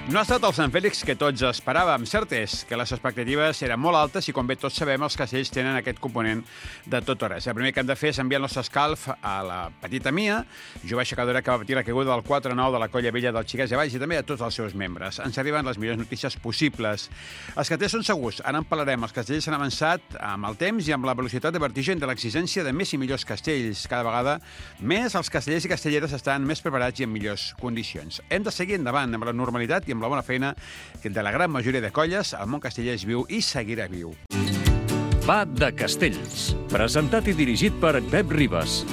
No ha estat el Sant Fèlix que tots esperàvem. Cert és que les expectatives eren molt altes i, com bé tots sabem, els castells tenen aquest component de tot o res. El primer que hem de fer és enviar el nostre escalf a la petita Mia, jove aixecadora que va patir la caiguda del 4-9 de la Colla Vella del Xiquets de Valls, i també a tots els seus membres. Ens arriben les millors notícies possibles. Els castells són segurs, ara en parlarem. Els castells s'han avançat amb el temps i amb la velocitat de vertigen de l'exigència de més i millors castells. Cada vegada més els castellers i castelleres estan més preparats i en millors condicions. Hem de seguir endavant amb la normalitat i amb la bona feina que de la gran majoria de colles el món casteller és viu i seguirà viu. Va de Castells, presentat i dirigit per Pep Ribas.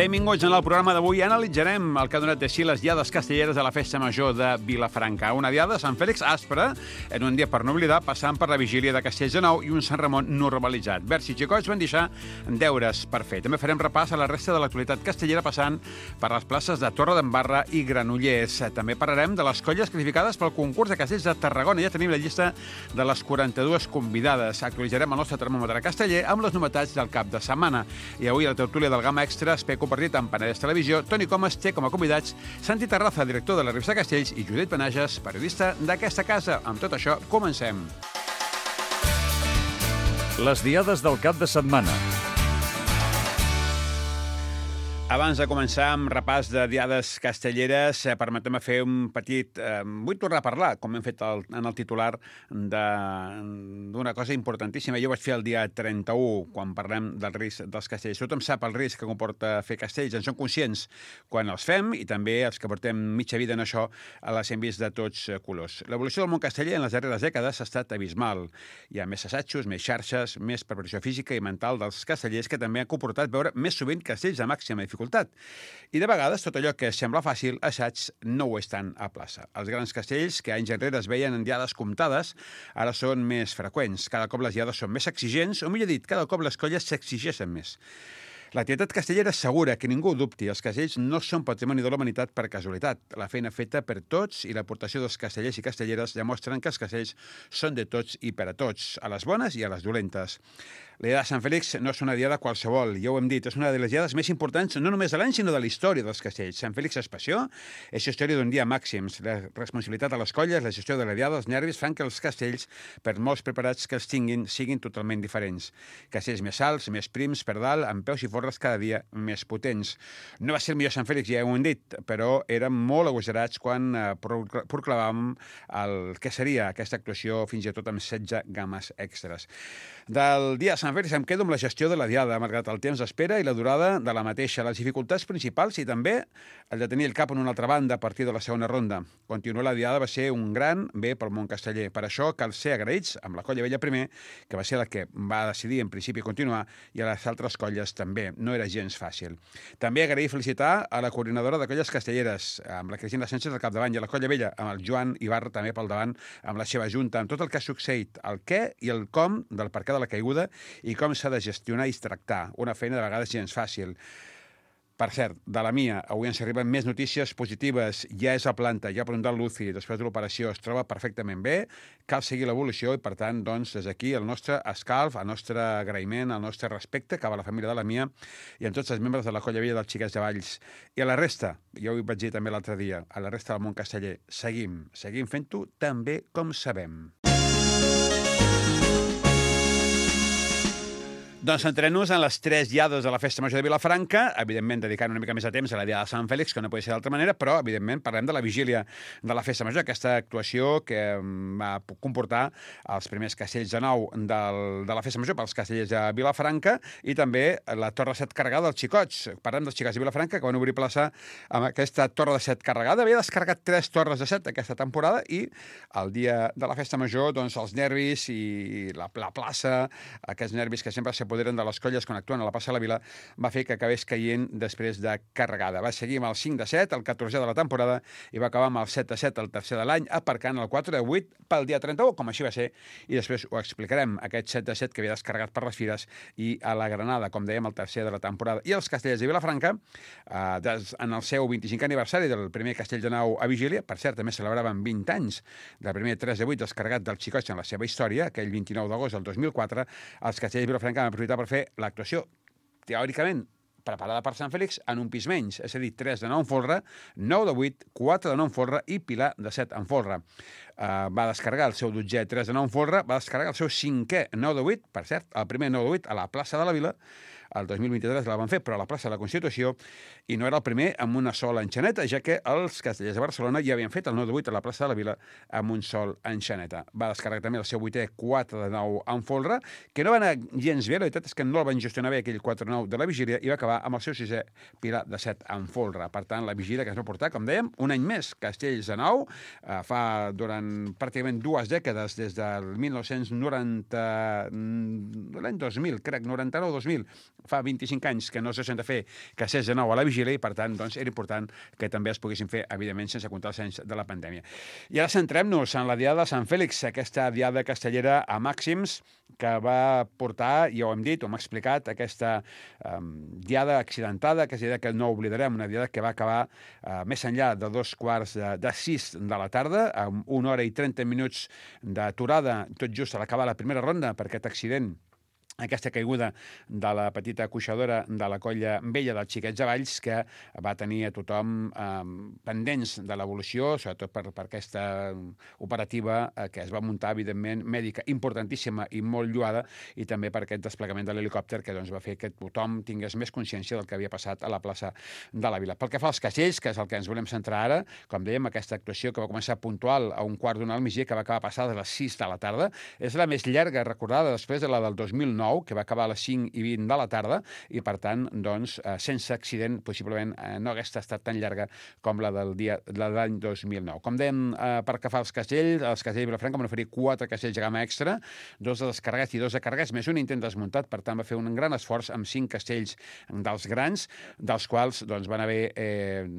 Benvinguts en el programa d'avui. Analitzarem el que ha donat de si les diades castelleres a la Festa Major de Vilafranca. Una diada de Sant Fèlix àspera, en un dia per no oblidar, passant per la vigília de Castells de Nou i un Sant Ramon normalitzat. Verds i xicots van deixar deures per fer. També farem repàs a la resta de l'actualitat castellera passant per les places de Torredembarra i Granollers. També parlarem de les colles classificades pel concurs de castells de Tarragona. Ja tenim la llista de les 42 convidades. Actualitzarem el nostre termòmetre casteller amb les novetats del cap de setmana. I avui a la tertúlia del Gamma Extra compartit amb Penedès Televisió, Toni Comas té com a convidats Santi Terraza, director de la revista Castells, i Judit Penages, periodista d'aquesta casa. Amb tot això, comencem. Les diades del cap de setmana. Abans de començar amb repàs de diades castelleres, permetem-me fer un petit... vull tornar a parlar, com hem fet en el titular, d'una cosa importantíssima. Jo vaig fer el dia 31, quan parlem del risc dels castells. Tothom sap el risc que comporta fer castells, en som conscients quan els fem, i també els que portem mitja vida en això les hem vist de tots colors. L'evolució del món casteller en les darreres dècades ha estat abismal. Hi ha més assajos, més xarxes, més preparació física i mental dels castellers, que també han comportat veure més sovint castells de màxima dificultat. I de vegades tot allò que sembla fàcil, assaig, no ho és tant a plaça. Els grans castells, que anys enrere es veien en diades comptades, ara són més freqüents. Cada cop les diades són més exigents, o millor dit, cada cop les colles s'exigeixen més. L'activitat castellera assegura que ningú ho dubti. Els castells no són patrimoni de la humanitat per casualitat. La feina feta per tots i l'aportació dels castellers i castelleres demostren que els castells són de tots i per a tots, a les bones i a les dolentes. La diada de Sant Fèlix no és una diada qualsevol, ja ho hem dit, és una de les diades més importants no només de l'any, sinó de la història dels castells. Sant Fèlix és passió, és història d'un dia màxims. La responsabilitat de les colles, la gestió de la diada, els nervis fan que els castells, per molts preparats que els tinguin, siguin totalment diferents. Castells més alts, més prims, per dalt, amb peus i forres cada dia més potents. No va ser el millor Sant Fèlix, ja ho hem dit, però érem molt agosarats quan proclamàvem el que seria aquesta actuació, fins i tot amb 16 games extres. Del dia de Sant Fèlix em quedo amb la gestió de la diada, malgrat el temps d'espera i la durada de la mateixa, les dificultats principals i també el de tenir el cap en una altra banda a partir de la segona ronda. Continuar la diada va ser un gran bé pel món casteller. Per això cal ser agraïts amb la Colla Vella primer, que va ser la que va decidir en principi continuar, i a les altres colles també. No era gens fàcil. També agrair i felicitar a la coordinadora de colles castelleres, amb la Cristina Sánchez al capdavant, i a la Colla Vella, amb el Joan Ibarra també pel davant, amb la seva junta, amb tot el que ha succeït, el què i el com del per què de la caiguda i com s'ha de gestionar i tractar. Una feina de vegades gens fàcil. Per cert, de la Mia, avui ens arriben més notícies positives. Ja és a planta, ja ha preguntat l'UCI, després de l'operació es troba perfectament bé, cal seguir l'evolució i, per tant, doncs, des d'aquí el nostre escalf, el nostre agraïment, el nostre respecte cap a la família de la Mia i a tots els membres de la Colla Vella dels Xiquets de Valls. I a la resta, ja ho vaig dir també l'altre dia, a la resta del món casteller, seguim fent-ho tan bé com sabem. Doncs centrem-nos en les 3 diades de la Festa Major de Vilafranca, evidentment dedicant una mica més de temps a la diada de Sant Fèlix, que no pot ser d'altra manera, però evidentment parlem de la vigília de la Festa Major, aquesta actuació que va comportar els primers castells de nou de la Festa Major pels castellers de Vilafranca i també la Torre de Set carregada dels xicots. Parlem dels xicots de Vilafranca, que van obrir plaça amb aquesta Torre de Set carregada. Havia descarregat 3 torres de set aquesta temporada i el dia de la Festa Major, doncs, els nervis i la plaça, aquests nervis que sempre s'ha s'apoderen de les colles quan actuen a la plaça de la Vila, va fer que acabés caient després de carregada. Va seguir amb el 5-7, el 14è de la temporada, i va acabar amb el 7-7, el tercer de l'any, aparcant el 4-8 pel dia 31, com així va ser, i després ho explicarem, aquest 7-7 que havia descarregat per les Fires i a la Granada, com dèiem, el tercer de la temporada. I els Castellers de Vilafranca, en el seu 25è aniversari del primer Castell de Nau a Vigília, per cert, també celebraven 20 anys del primer 3-8 descarregat del Xicotxe en la seva història, aquell 29 d'agost del 2004, els Castellers de Vilafranca van aprofitar per fer l'actuació, teòricament, preparada per Sant Fèlix en un pis menys, és a dir, 3 de 9 en folre, 9 de 8, 4 de 9 en folre i Pilar de 7 en folre. Va descarregar el seu 12è 3 de 9 en folre, va descarregar el seu 5è 9 de 8, per cert, el primer 9 de 8 a la plaça de la Vila, el 2023 la van fer, però a la plaça de la Constitució, i no era el primer amb una sola enxaneta, ja que els Castellers de Barcelona ja havien fet el 9 de 8 a la plaça de la Vila amb un sol enxaneta. Va descarregar també el seu 8è 4 de 9 en folre, que no va anar gens bé, la veritat és que no el van gestionar bé aquell 4-9 de la Vigília, i va acabar amb el seu 6è Pilar de 7 en folre. Per tant, la Vigília que es va portar, com dèiem, un any més, Castells de Nau, fa durant pràcticament 2 dècades, des del 1990, l'any 2000, crec, 99-2000, fa 25 anys que no se sent a fer Castells de Nau a la Vigília, i per tant doncs, era important que també es poguessin fer, evidentment, sense comptar els anys de la pandèmia. I ara centrem-nos en la Diada de Sant Fèlix, aquesta Diada castellera a màxims que va portar, ja ho hem dit, ho hem explicat, aquesta Diada accidentada, aquesta Diada que no oblidarem, una Diada que va acabar més enllà de 2:45 de la tarda, amb 1 hora i 30 minuts d'aturada, tot just a l'acabar la primera ronda, per aquest accident, aquesta caiguda de la petita cuixadora de la colla vella dels Xiquets Avalls, que va tenir a tothom pendents de l'evolució, sobretot per aquesta operativa que es va muntar, evidentment, mèdica, importantíssima i molt lloada, i també per aquest desplegament de l'helicòpter que va fer que tothom tingués més consciència del que havia passat a la plaça de la Vila. Pel que fa als castells, que és el que ens volem centrar ara, com dèiem, aquesta actuació que va començar puntual a 1:15 al migdia, que va acabar passada a les 6 de la tarda, és la més llarga recordada després de la del 2009, que va acabar a les 5:20 de la tarda, i per tant, doncs, sense accident, possiblement no hagués estat tan llarga com la del dia de l'any 2009. Com dèiem, per que fa els Castells de Vilafranca van oferir 4 castells de gamma extra, 2 de descarregats i 2 de carregats, més un intent desmuntat, per tant va fer un gran esforç amb 5 castells dels grans, dels quals doncs, van haver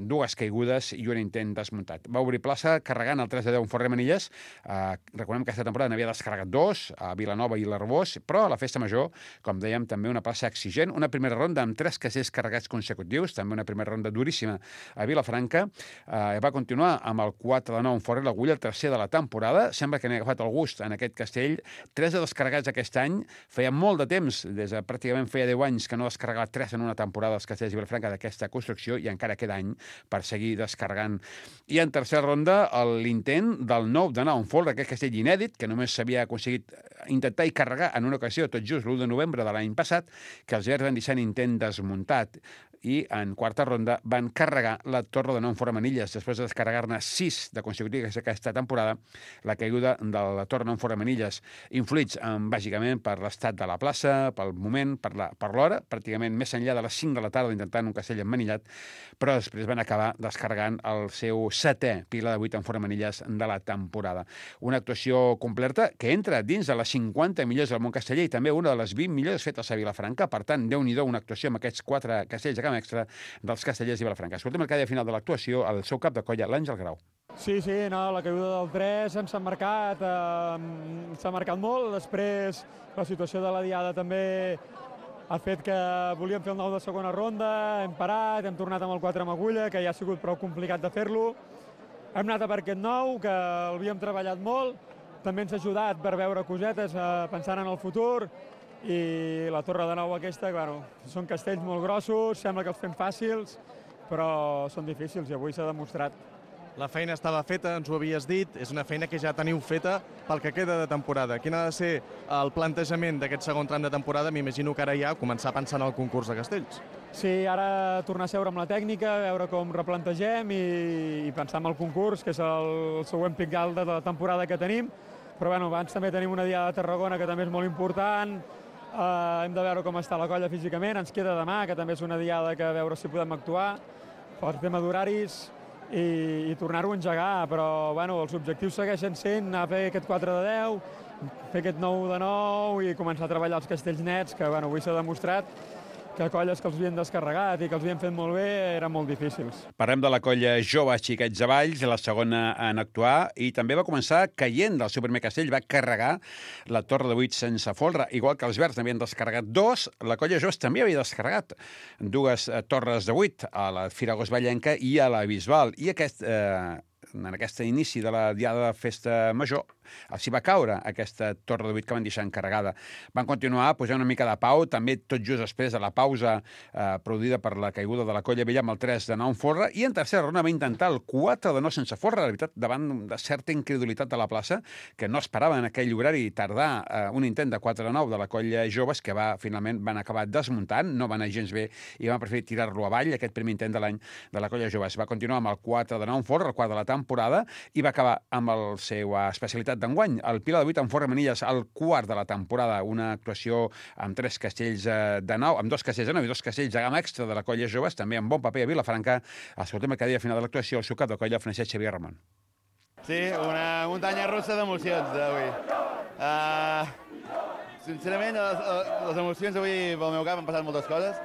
2 caigudes i un intent desmuntat. Va obrir plaça carregant el 3 de 10 en Forrer Manilles. Recordem que aquesta temporada n'havia descarregat 2, a Vilanova i l'Arbós, però a la Festa Major, com dèiem, també una plaça exigent, una primera ronda amb 3 castells carregats consecutius, també una primera ronda duríssima a Vilafranca. Va continuar amb el 4 de 9 en Forrer l'Agulla, el tercer de la temporada. Sembla que n'ha agafat el gust en aquest castell. 3 de descarregats aquest any. Feia molt de temps, pràcticament feia 10 anys, que no descarregava 3 en una temporada els castells de Vilafranca d'aquesta construcció, i encara queda any per seguir descarregant. I en tercera ronda, l'intent del 9 de 9 en Forrer, aquest castell inèdit, que només s'havia aconseguit intentar i carregar en una ocasió, tot just l'1 de novembre de l'any passat, que els verds van deixar intent desmuntat, i en quarta ronda van carregar la Torre de 9 en Forrer Manilles, després de descarregar-ne 6 de consecutives aquesta temporada. La caiguda de la Torre de 9 en Forrer Manilles, influïts bàsicament per l'estat de la plaça, pel moment, per l'hora, pràcticament més enllà de les 5 de la tarda intentant un castell emmanillat, però després van acabar descarregant el seu 7è Pilar de 8 en Forrer Manilles de la temporada. Una actuació completa que entra dins de les 50 millors del món casteller, i també una de les 20 millors fetes a Vilafranca. Per tant, Déu-n'hi-do, una actuació amb aquests 4 castells de extra dels Castellers de Vilafranca. Escoltem el que deia al final de l'actuació el seu cap de colla, l'Àngel Grau. Sí, no, la caiguda del 3 s'ha marcat molt. Després la situació de la Diada també ha fet que volíem fer el 9 de segona ronda, hem parat, hem tornat amb el 4 amb agulla, que ja ha sigut prou complicat de fer-lo. Hem anat a per aquest 9, que l'havíem treballat molt, també ens ha ajudat per veure cosetes pensant en el futur, i la Torre de 9 aquesta, són castells molt grossos, sembla que els fem fàcils, però són difícils i avui s'ha demostrat. La feina estava feta, ens ho havies dit, és una feina que ja teniu feta pel que queda de temporada. Quin ha de ser el plantejament d'aquest segon tram de temporada? M'imagino que ara ja començar a pensar en el concurs de castells. Sí, ara tornar a seure amb la tècnica, veure com replantegem i pensar en el concurs, que és el següent pic alt de la temporada que tenim. Però abans també tenim una Diada de Tarragona que també és molt important. Hem de veure com està la colla físicament. Ens queda demà, que també és una Diada que a veure si podem actuar per tema d'horaris i tornar-ho a engegar. Però els objectius segueixen sent anar a fer aquest 4 de 10 fer aquest 9 de 9 i començar a treballar els castells nets, que bueno, avui s'ha demostrat que colles que els havien descarregat i que els havien fet molt bé eren molt difícils. Parlem de la colla Jove Xiquets de Valls, la segona en actuar, i també va començar caient del seu primer castell, va carregar la torre de 8 sense folre, igual que els verds n'havien descarregat 2, la colla Joves també havia descarregat 2 torres de 8, a la Firagos Vallenca i a la Bisbal, i en aquest inici de la diada de festa major, els hi va caure aquesta torre de 8 que van deixar encarregada. Van continuar posant una mica de pau, també tot just després de la pausa produïda per la caiguda de la colla vella amb el 3 de 9 en folre, i en tercera ronda va intentar el 4 de 9 sense folre, la veritat, davant de certa incredulitat de la plaça, que no esperava en aquell horari tardar un intent de 4 de 9 de la colla Joves, que finalment van acabar desmuntant, no van anar gens bé, i van preferir tirar-lo avall, aquest primer intent de l'any de la colla Joves. Va continuar amb el 4 de 9 en folre, el quart de la temporada, i va acabar amb la seva especialitat d'enguany, el Pilar de 8 en folre manilles, el quart de la temporada, una actuació amb 3 castells de 9, amb 2 castells de 9 i 2 castells de gamma extra de la colla Joves, també amb bon paper a Vilafranca. Escoltem cada dia final de l'actuació, el seu cap de colla, Francesc Xavier Ramon. Sí, una muntanya russa d'emocions d'avui. Sincerament, les emocions avui pel meu cap han passat moltes coses.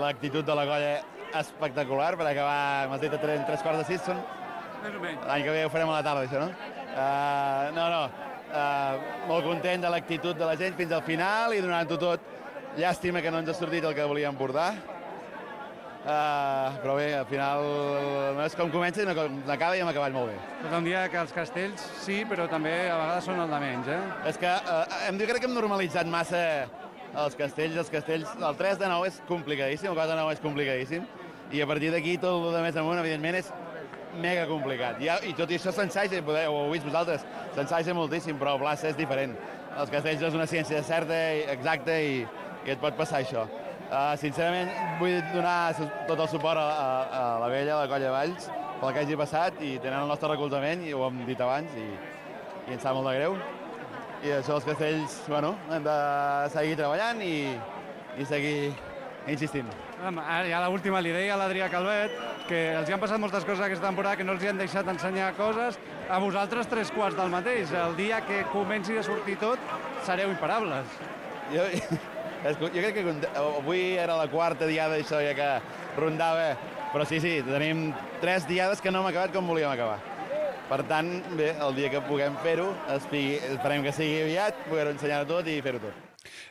L'actitud de la colla espectacular per acabar, m'has dit, a 3 quarts de 6 són? L'any que ve ho farem a la tarda, això, no? Molt content de l'actitud de la gent fins al final i donant-ho tot. Llàstima que no ens ha sortit el que volíem portar. Però bé, al final no és com comença, sinó com acaba i hem acabat molt bé. Tot un dia que els castells sí, però també a vegades són el de menys, És que jo crec que hem normalitzat massa els castells. El 3 de 9 és complicadíssim, el 4 de 9 és complicadíssim, i a partir d'aquí tot el de més amunt, evidentment, és mega complicat. I tot i això s'ensaja, ho heu vist vosaltres, s'ensaja moltíssim, però a plaça és diferent. Els castells és una ciència certa, exacta, i et pot passar això. Sincerament, vull donar tot el suport a la vella, a la colla Valls, pel que hagi passat, i tenen el nostre recolzament, i ho hem dit abans, i ens sap molt de greu. I això, els castells, bueno, hem de seguir treballant i seguir insistint. Ja l'última li deia a l'Adrià Calvet que els hi han passat moltes coses aquesta temporada que no els hi han deixat ensenyar coses. A vosaltres 3 quarts del mateix. El dia que comenci a sortir tot, sereu imparables. Jo crec que avui era la quarta diada, això ja que rondava, però sí, tenim 3 diades que no hem acabat com volíem acabar. Per tant, bé, el dia que puguem fer-ho, esperem que sigui aviat, poder-ho ensenyar tot i fer-ho tot.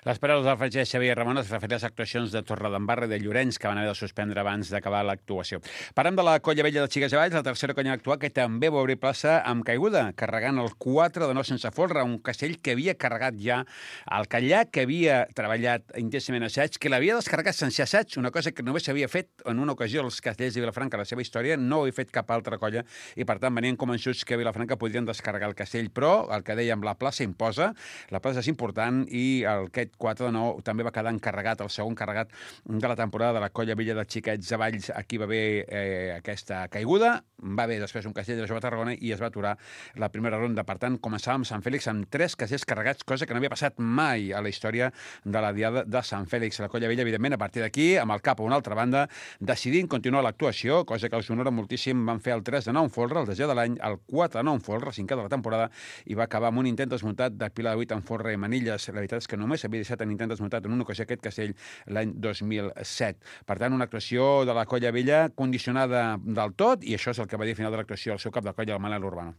Les paraules del Francesc Xavier Ramon es referien a les actuacions de Torredembarra i de Llorenç, que van haver de suspendre abans d'acabar l'actuació. Parlem de la colla vella de Xiquets de Valls, la tercera colla a actuar, que també va obrir plaça amb caiguda, carregant el 4 de 9 sense folre, un castell que havia carregat ja al Catllà, que havia treballat intensament assaig, que l'havia descarregat sense assaig, una cosa que només s'havia fet en una ocasió als castells de Vilafranca a la seva història, no ho havia fet cap altra colla, i per tant venien convençuts que a Vilafranca podrien descarregar el castell, però el que dèiem, la plaça imposa, la plaça és important, i aquest 4 de 9 també va quedar encarregat, el segon carregat de la temporada de la colla vella de Xiquets de Valls. Aquí va haver aquesta caiguda, va haver després un castell de la Jove Tarragona i es va aturar la primera ronda. Per tant, començàvem Sant Fèlix amb 3 castells carregats, cosa que no havia passat mai a la història de la diada de Sant Fèlix. La colla vella, evidentment, a partir d'aquí, amb el cap a una altra banda, decidint continuar l'actuació, cosa que els honora moltíssim. Van fer el 3 de 9 en folre, el desè de l'any, el 4 de 9 en folre, el 5è de la temporada, i va acabar amb un intent desmuntat de Pilar de 8 en folre i manilles. La veritat és que només havia deixat en intent desmuntat en una ocasió aquest castell l'any 2007. Per tant, una actuació de la colla vella condicionada del tot, i això és el que va dir al final de l'actuació el seu cap de colla, el Manel Urbano.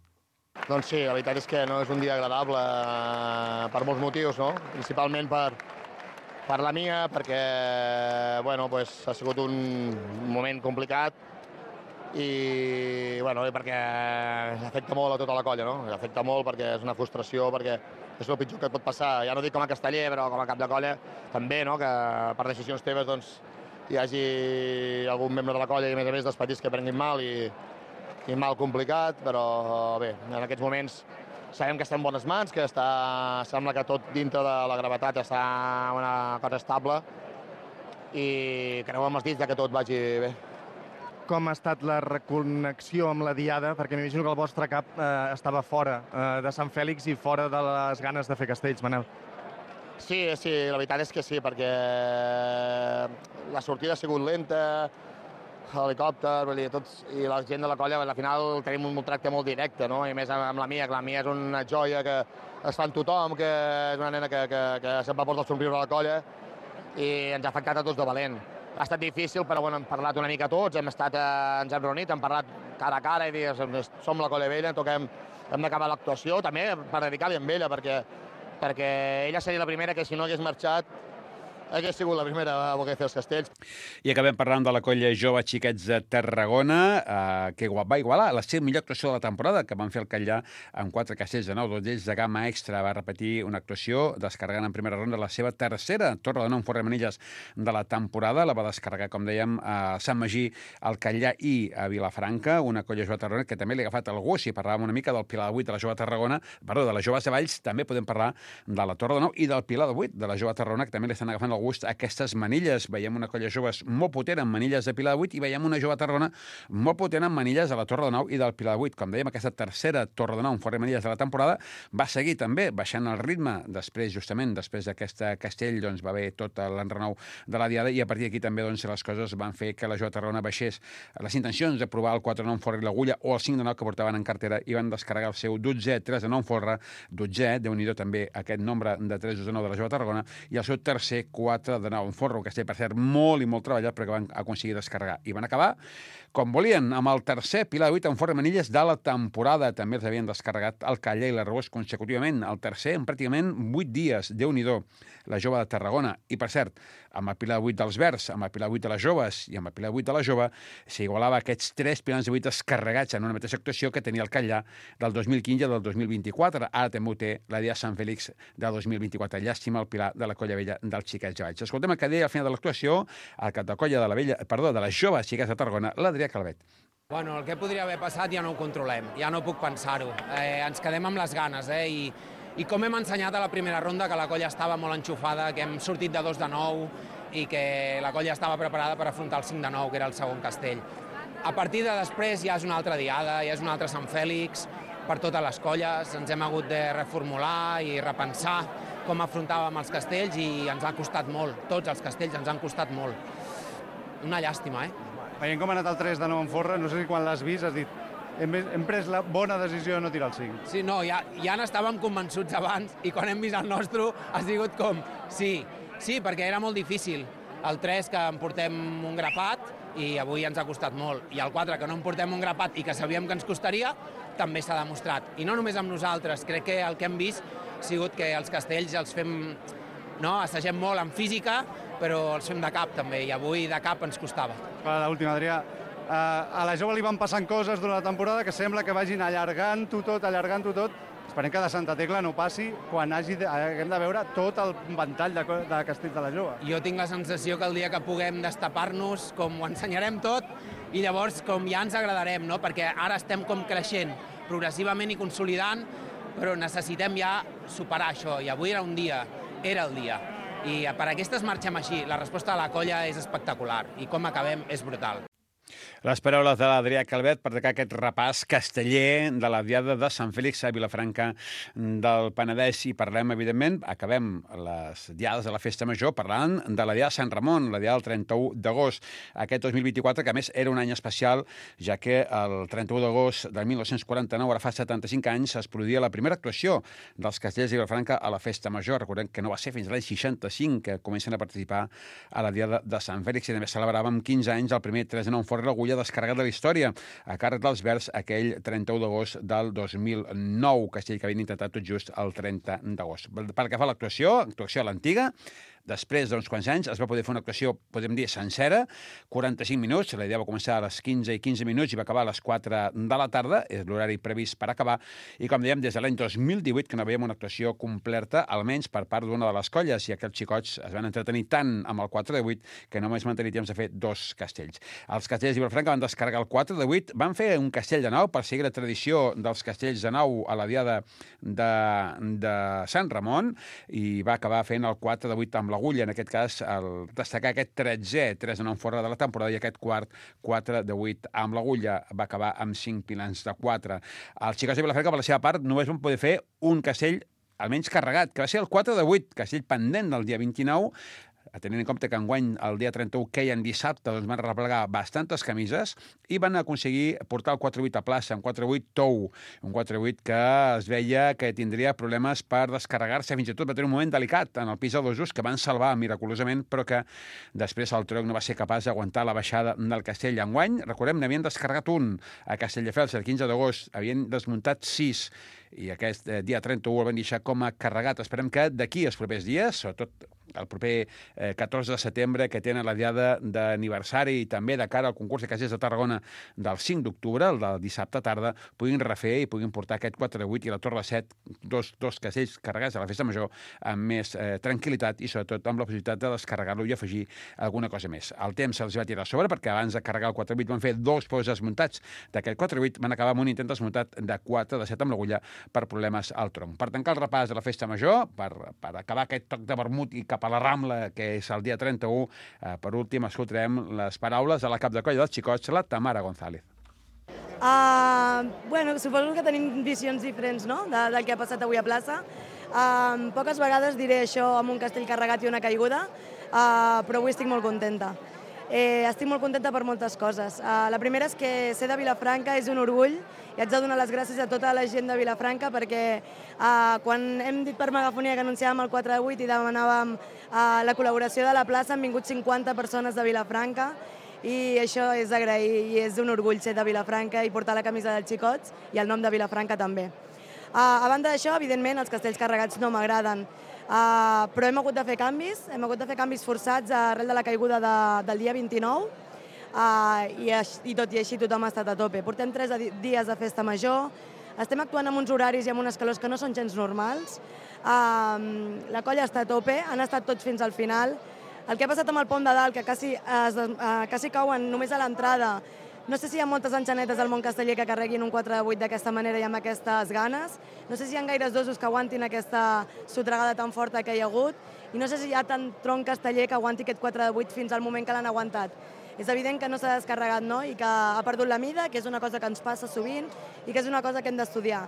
Doncs sí, la veritat és que no és un dia agradable per molts motius, no? Principalment per la mia, perquè bueno, pues, ha sigut un moment complicat i bueno, perquè afecta molt a tota la colla, no? Afecta molt perquè és una frustració, perquè és el pitjor que et pot passar. Ja no dic com a casteller, però com a cap de colla també, no? Que per decisions teves doncs, hi hagi algun membre de la colla i a més dels petits que prenguin mal i mal complicat, però bé, en aquests moments sabem que estem en bones mans, que sembla que tot dintre de la gravetat està una cosa estable i creu amb els dits que tot vagi bé. Com ha estat la reconnexió amb la diada? Perquè m'imagino que el vostre cap estava fora de Sant Fèlix i fora de les ganes de fer castells, Manel. Sí, la veritat és que sí, perquè la sortida ha sigut lenta, helicòpter, vull dir, tots, i la gent de la colla, al final tenim un tracte molt directe, no? I més amb la Mia, que la Mia és una joia que es fa amb tothom, que és una nena que sempre porta el somriure a la colla, i ens ha afectat a tots de valent. Ha estat difícil, però bueno, hem parlat una mica tots, ens hem reunit, hem parlat cara a cara i dir, som la colla vella, hem d'acabar l'actuació, també per dedicar-li amb ella, perquè ella seria la primera que si no hagués marxat hagués sigut la primera a voler fer els castells. I acabem parlant de la colla jove Xiquets de Tarragona, que va igualar la seva millor actuació de la temporada, que van fer el Catllà amb 4 castells de 9, 2 d'ells de gamma extra. Va repetir una actuació descarregant en primera ronda la seva tercera torre de 9 en Forremanilles de la temporada. La va descarregar, com dèiem, a Sant Magí, al Catllà i a Vilafranca, una colla jove de Tarragona que també li ha agafat el gust. Si parlàvem una mica del Pilar de 8 de la jove de Tarragona, perdó, de les joves de Valls, també podem parlar de la torre de 9 i del Pilar de 8 de la jove de Tarragona, que també li estan agafant el gust a aquestes manilles. Veiem una colla joves molt potent amb manilles de Pilar de 8 i veiem una jove a Tarragona molt potent amb manilles a la Torre de 9 i del Pilar de 8. Com dèiem, aquesta tercera Torre de 9 en fora manilles de la temporada va seguir també baixant el ritme justament després d'aquesta castell, doncs va haver tot l'enrenou de la diada i a partir d'aquí també doncs, les coses van fer que la jove a Tarragona baixés les intencions de provar el 4 de 9 en forra i l'agulla o el 5 de 9 que portaven en cartera i van descarregar el seu 12è 3 de 9 en forra, 12è, Déu-n'hi-do també aquest nombre de 3 de 9 de la jove a Tarragona i el seu tercer 4 de 9 en forra, un castell, per cert, molt i molt treballat, però que van aconseguir descarregar. I van acabar, com volien, amb el tercer Pilar de 8 en forra manilles de la temporada. També els havien descarregat el Catllà i l'Arboç consecutivament. El tercer en pràcticament 8 dies. Déu-n'hi-do, la jove de Tarragona. I, per cert, amb el Pilar de 8 dels Verds, amb el Pilar de 8 de les joves i amb el Pilar de 8 de la jove, s'igualava aquests 3 pilars de 8 descarregats en una mateixa actuació que tenia el Catllà del 2015 i del 2024. Ara també ho té la Dia Sant Fèlix del 2024. Llàstima el Pilar de la colla vella dels Xiquets de Valls. Escoltem el que deia al final de l'actuació el cap de colla de les joves Xiquets de Tarragona, l'Adrià Calvet. Bueno, el que podria haver passat ja no ho controlem, ja no puc pensar-ho. Ens quedem amb les ganes, i com hem ensenyat a la primera ronda que la colla estava molt enxufada, que hem sortit de 2 de 9 i que la colla estava preparada per afrontar el 5 de 9, que era el segon castell. A partir de després ja és una altra diada, ja és un altre Sant Fèlix, per totes les colles, ens hem hagut de reformular i repensar com afrontàvem els castells i ens ha costat molt, tots els castells ens han costat molt. Una llàstima, Veient com ha anat el 3 de 9 en forra, no sé si quan l'has vist has dit hem pres la bona decisió de no tirar el 5. Sí, no, ja n'estàvem convençuts abans i quan hem vist el nostre ha sigut com sí, perquè era molt difícil. El 3 que en portem un grapat i avui ens ha costat molt. I el 4 que no en portem un grapat i que sabíem que ens costaria, també s'ha demostrat. I no només amb nosaltres, crec que el que hem vist ha sigut que els castells els fem, assagem molt en física, però els fem de cap també, i avui de cap ens costava. L'última, Adrià. A la jove li van passant coses durant la temporada que sembla que vagin allargant-ho tot. Esperem que de Santa Tecla no passi quan haguem de veure tot el ventall de castells de la jove. Jo tinc la sensació que el dia que puguem destapar-nos, com ho ensenyarem tot, i llavors com ja ens agradarem, perquè ara estem com creixent progressivament i consolidant, però necessitem ja superar això, i avui era el dia. I per aquestes marxem així. La resposta de la colla és espectacular i com acabem és brutal. Les paraules de l'Adrià Calvet per tancar aquest repàs casteller de la Diada de Sant Fèlix a Vilafranca del Penedès. I parlem, evidentment, acabem les diades de la Festa Major parlant de la Diada de Sant Ramon, la Diada del 31 d'agost. Aquest 2024, que a més era un any especial, ja que el 31 d'agost del 1949, ara fa 75 anys, es produïa la primera actuació dels castellers de Vilafranca a la Festa Major. Recordem que no va ser fins l'any 65 que comencen a participar a la Diada de Sant Fèlix i també celebràvem 15 anys el primer 3 de 9 en forra l'agulla descarregat de la història a càrrec dels Verds aquell 31 d'agost del 2009, castell que havien intentat tot just el 30 d'agost. Pel que fa a l'actuació a l'antiga, després d'uns quants anys es va poder fer una actuació, podem dir, sencera, 45 minuts, la idea va començar a les 15 minuts i va acabar a les 4 de la tarda, és l'horari previst per acabar, i com dèiem, des de l'any 2018 que no veiem una actuació completa, almenys per part d'una de les colles, i aquells xicots es van entretenir tant amb el 4 de 8 que només van tenir temps de fer 2 castells. Els castells de Vilafranca van descarregar el 4 de 8, van fer un castell de 9 per seguir la tradició dels castells de 9 a la diada de Sant Ramon, i va acabar fent el 4 de 8 amb l'agulla, en aquest cas, destacar aquest 13è 3 de 9 en forra de la temporada, i aquest quart 4 de 8 amb l'agulla va acabar amb 5 pilans de 4. Els xicots de Vilafranca, per la seva part, només van poder fer un castell almenys carregat, que va ser el 4 de 8, castell pendent del dia 29, tenint en compte que enguany el dia 31 queien dissabte, doncs van replegar bastantes camises i van aconseguir portar el 4-8 a plaça, un 4-8 tou, un 4-8 que es veia que tindria problemes per descarregar-se, fins i tot va tenir un moment delicat en el pis de dosos que van salvar miraculosament, però que després el tronc no va ser capaç d'aguantar la baixada del castell. Enguany, recordem, n'havien descarregat un a Castelldefels el 15 d'agost, havien desmuntat 6 i aquest dia 31 el van deixar com a carregat. Esperem que d'aquí als propers dies, sobretot el proper 14 de setembre, que tenen la diada d'aniversari i també de cara al concurs de castells de Tarragona del 5 d'octubre, el del dissabte tarda, puguin refer i puguin portar aquest 4-8 i la Torre 7, dos castells carregats a la festa major amb més tranquil·litat i sobretot amb la possibilitat de descarregar-lo i afegir alguna cosa més. El temps se'ls va tirar a sobre perquè abans de carregar el 4-8 van fer 2 pous desmuntats d'aquest 4-8, van acabar amb un intent desmuntat de 4 de 7 amb l'agulla per problemes al tronc. Per tancar el repàs de la festa major, per acabar aquest toc de vermut i cap a la Rambla, que és el dia 31, per últim escoltarem les paraules de la cap de colla dels xicots, la Tamara González. Bueno, suposo que tenim visions diferents, no?, del que ha passat avui a plaça. Poques vegades diré això amb un castell carregat i una caiguda, però avui estic molt contenta. Estic molt contenta per moltes coses. La primera és que ser de Vilafranca és un orgull i haig de donar les gràcies a tota la gent de Vilafranca perquè quan hem dit per megafonia que anunciàvem el 4-8 i demanàvem la col·laboració de la plaça, han vingut 50 persones de Vilafranca i això és d'agrair i és un orgull ser de Vilafranca i portar la camisa dels xicots i el nom de Vilafranca també. A banda d'això, evidentment, els castells carregats no m'agraden, però hem hagut de fer canvis forçats arrel de la caiguda del dia 29 i tot i així tothom ha estat a tope. Portem 3 dies de festa major, estem actuant amb uns horaris i amb unes calors que no són gens normals, la colla està a tope, han estat tots fins al final. El que ha passat amb el pont de dalt, que quasi cauen només a l'entrada, no sé si hi ha moltes enxanetes al món casteller que carreguin un 4-8 d'aquesta manera i amb aquestes ganes. No sé si hi ha gaires dosos que aguantin aquesta sotregada tan forta que hi ha hagut i no sé si hi ha tant tronc casteller que aguanti aquest 4-8 fins al moment que l'han aguantat. És evident que no s'ha descarregat, no?, i que ha perdut la mida, que és una cosa que ens passa sovint i que és una cosa que hem d'estudiar.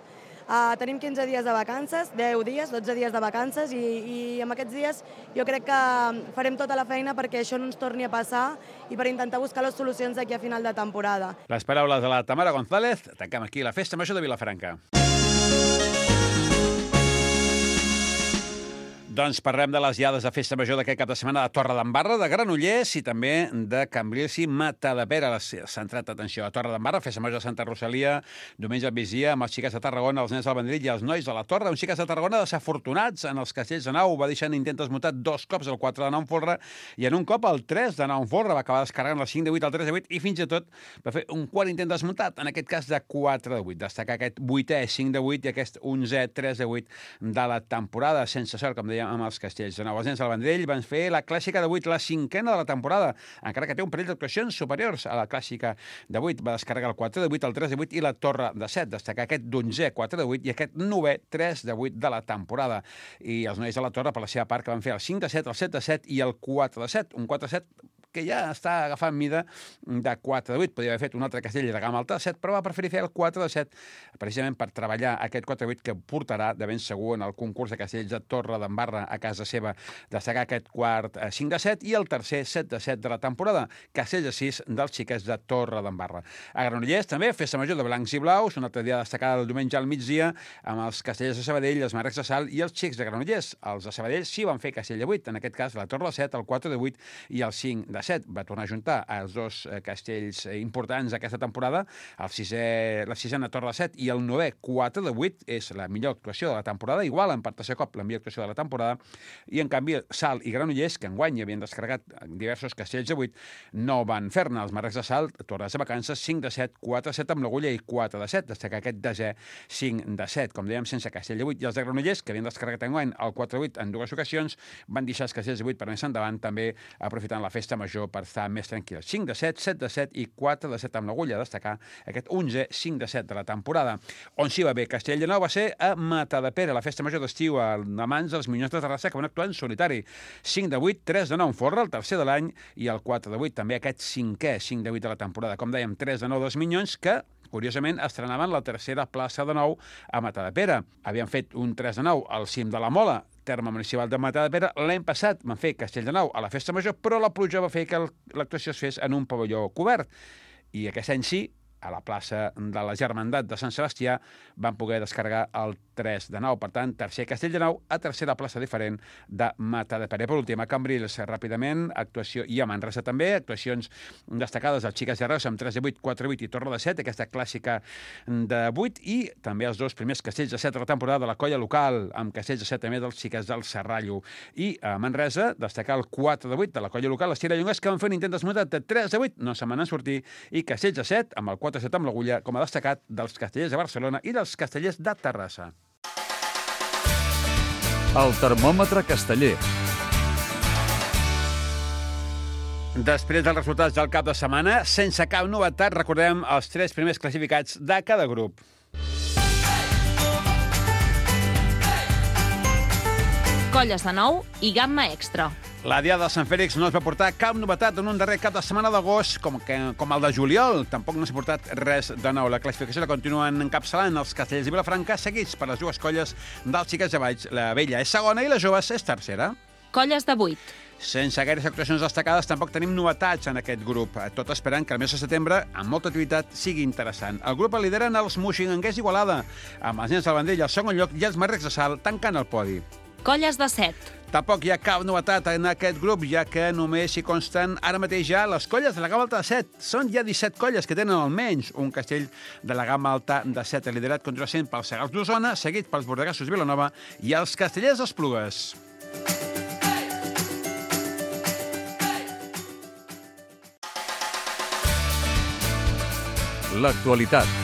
Tenim 15 dies de vacances, 10 dies, 12 dies de vacances i amb aquests dies jo crec que farem tota la feina perquè això no ens torni a passar i per intentar buscar les solucions d'aquí a final de temporada. Les paraules de la Tamara González. Tanquem aquí la Festa Major de Vilafranca. Doncs parlem de les diades de Festa Major d'aquest cap de setmana de Torredembarra, de Granollers i també de Cambrils i Matadepera. Centrat atenció a Torredembarra, Festa Major de Santa Rosalia, diumenge al migdia amb els xiquets de Tarragona, els nens del Vendrell i els nois de la Torre. Uns xiquets de Tarragona desafortunats en els castells de nau. Va deixar en intent desmuntat 2 cops, el 4 de nau en folre i en un cop el 3 de nau en folre. Va acabar descarregant el 5 de 8, el 3 de 8 i fins i tot va fer un quart intent desmuntat, en aquest cas de 4 de 8. Destacar aquest 8è 5 de 8 i aquest 11è 3 de 8 de la temporada. Sense sort, com dèiem, amb els castells de nou. Els nens del Vendrell van fer la clàssica de 8, la 5a de la temporada, encara que té un parell d'actuacions superiors a la clàssica de 8. Va descarregar el 4 de 8, el 3 de 8 i la Torre de 7. Destacar aquest 11è 4 de 8 i aquest 9è 3 de 8 de la temporada. I els nois de la Torre, per la seva part, que van fer el 5 de 7, el 7 de 7 i el 4 de 7. Un 4 de 7 que ja està agafant mida de 4 de 8. Podria haver fet un altre castell de gamma alta de 7, però va preferir fer el 4 de 7, precisament per treballar aquest 4 de 8 que portarà de ben segur en el concurs de castells de Torredembarra a casa seva. Destacar aquest quart 5 de 7 i el tercer 7 de 7 de la temporada, castells de 6 dels xiquets de Torredembarra. A Granollers també, Festa Major de Blancs i Blaus, una altra dia destacada el diumenge al migdia, amb els castellers de Sabadell, els Marcs de Salt i els xics de Granollers. Els de Sabadell sí van fer castell de 8, en aquest cas la Torre de 7, el 4 de 8 i el 5 de 7. Va tornar a juntar els 2 castells importants d'aquesta temporada, la sisena Torre de 7 i el 9è 4 de 8, és la millor actuació de la temporada, igual en per tercer cop la millor actuació de la temporada, i en canvi Salt i Granollers, que enguany havien descarregat diversos castells de 8, no van fer-ne. Els Marcs de Salt, tornades de vacances, 5 de 7, 4 de 7 amb l'agulla i 4 de 7, destacar aquest desè 5 de 7, com dèiem, sense castell de 8, i els de Granollers, que havien descarregat enguany el 4 de 8 en 2 ocasions, van deixar els castells de 8 per més endavant, també aprofitant la festa major per estar més tranquil·les. 5 de 7, 7 de 7 i 4 de 7 amb l'agulla, destacar aquest 11è 5 de 7 de la temporada. On s'hi va bé castell de nou va ser a Matadepera, la festa major d'estiu a mans dels Minyons de Terrassa, que van actuar en solitari. 5 de 8, 3 de 9 en folre, el tercer de l'any, i el 4 de 8, també aquest 5è 5 de 8 de la temporada. Com dèiem, 3 de 9 dels Minyons, que curiosament, estrenaven la tercera plaça de nou a Matadepera. Havien fet un 3 de 9 al cim de la Mola, terme municipal de Matadepera. L'any passat van fer Castelldefels a la Festa Major, però la pluja va fer que l'actuació es fes en un pavelló cobert. I aquest any sí, a la plaça de la Germandat de Sant Sebastià, van poder descarregar el 3-9. Per tant, tercer Castelldefels a tercera plaça diferent de Matadepera. Per últim, a Cambrils, ràpidament, actuació, i a Manresa també, actuacions destacades als Xiques de Reus amb 3-8, 4-8 i Torre de 7, aquesta clàssica de 8, i també els dos primers castells de 7 de la temporada de la colla local, amb castells de 7 també dels Xiques del Serrallo. I a Manresa, destacar el 4-8 de la colla local, les Tirallongues, que van fer un intent desmuntat de 3-8, no se'n van sortir, i castells de 7, amb el 4-7 amb l'Agulla, com a destacat dels castellers de Barcelona i dels castellers de Terrassa. El termòmetre casteller. Després dels resultats del cap de setmana, sense cap novetat, recordem els 3 primers classificats de cada grup. Colles de nou i gamma extra. La Diada de Sant Fèlix no es va portar cap novetat en un darrer cap de setmana d'agost, com el de juliol. Tampoc no s'ha portat res de nou. La classificació la continuen encapçalant els castellers de Vilafranca, seguits per les dues colles dels Xiques de Valls. La vella és segona i la joves és tercera. Colles de 8. Sense gaires actuacions destacades, tampoc tenim novetats en aquest grup, tot esperant que el mes de setembre, amb molta activitat, sigui interessant. El grup el lideren els Moixinguenguers d'Igualada, amb els Nens del Vendrell al segon lloc i els Marrecs de Salt tancant el podi. Colles de 7. Tampoc hi ha cap novetat en aquest grup, ja que només hi consten ara mateix ja les colles de la gamma alta de 7. Són ja 17 colles que tenen almenys un castell de la gamma alta de 7. El liderat continua sent pels Segals d'Osona, seguit pels Bordegassos de Vilanova i els Castellers d'Esplugues. L'actualitat.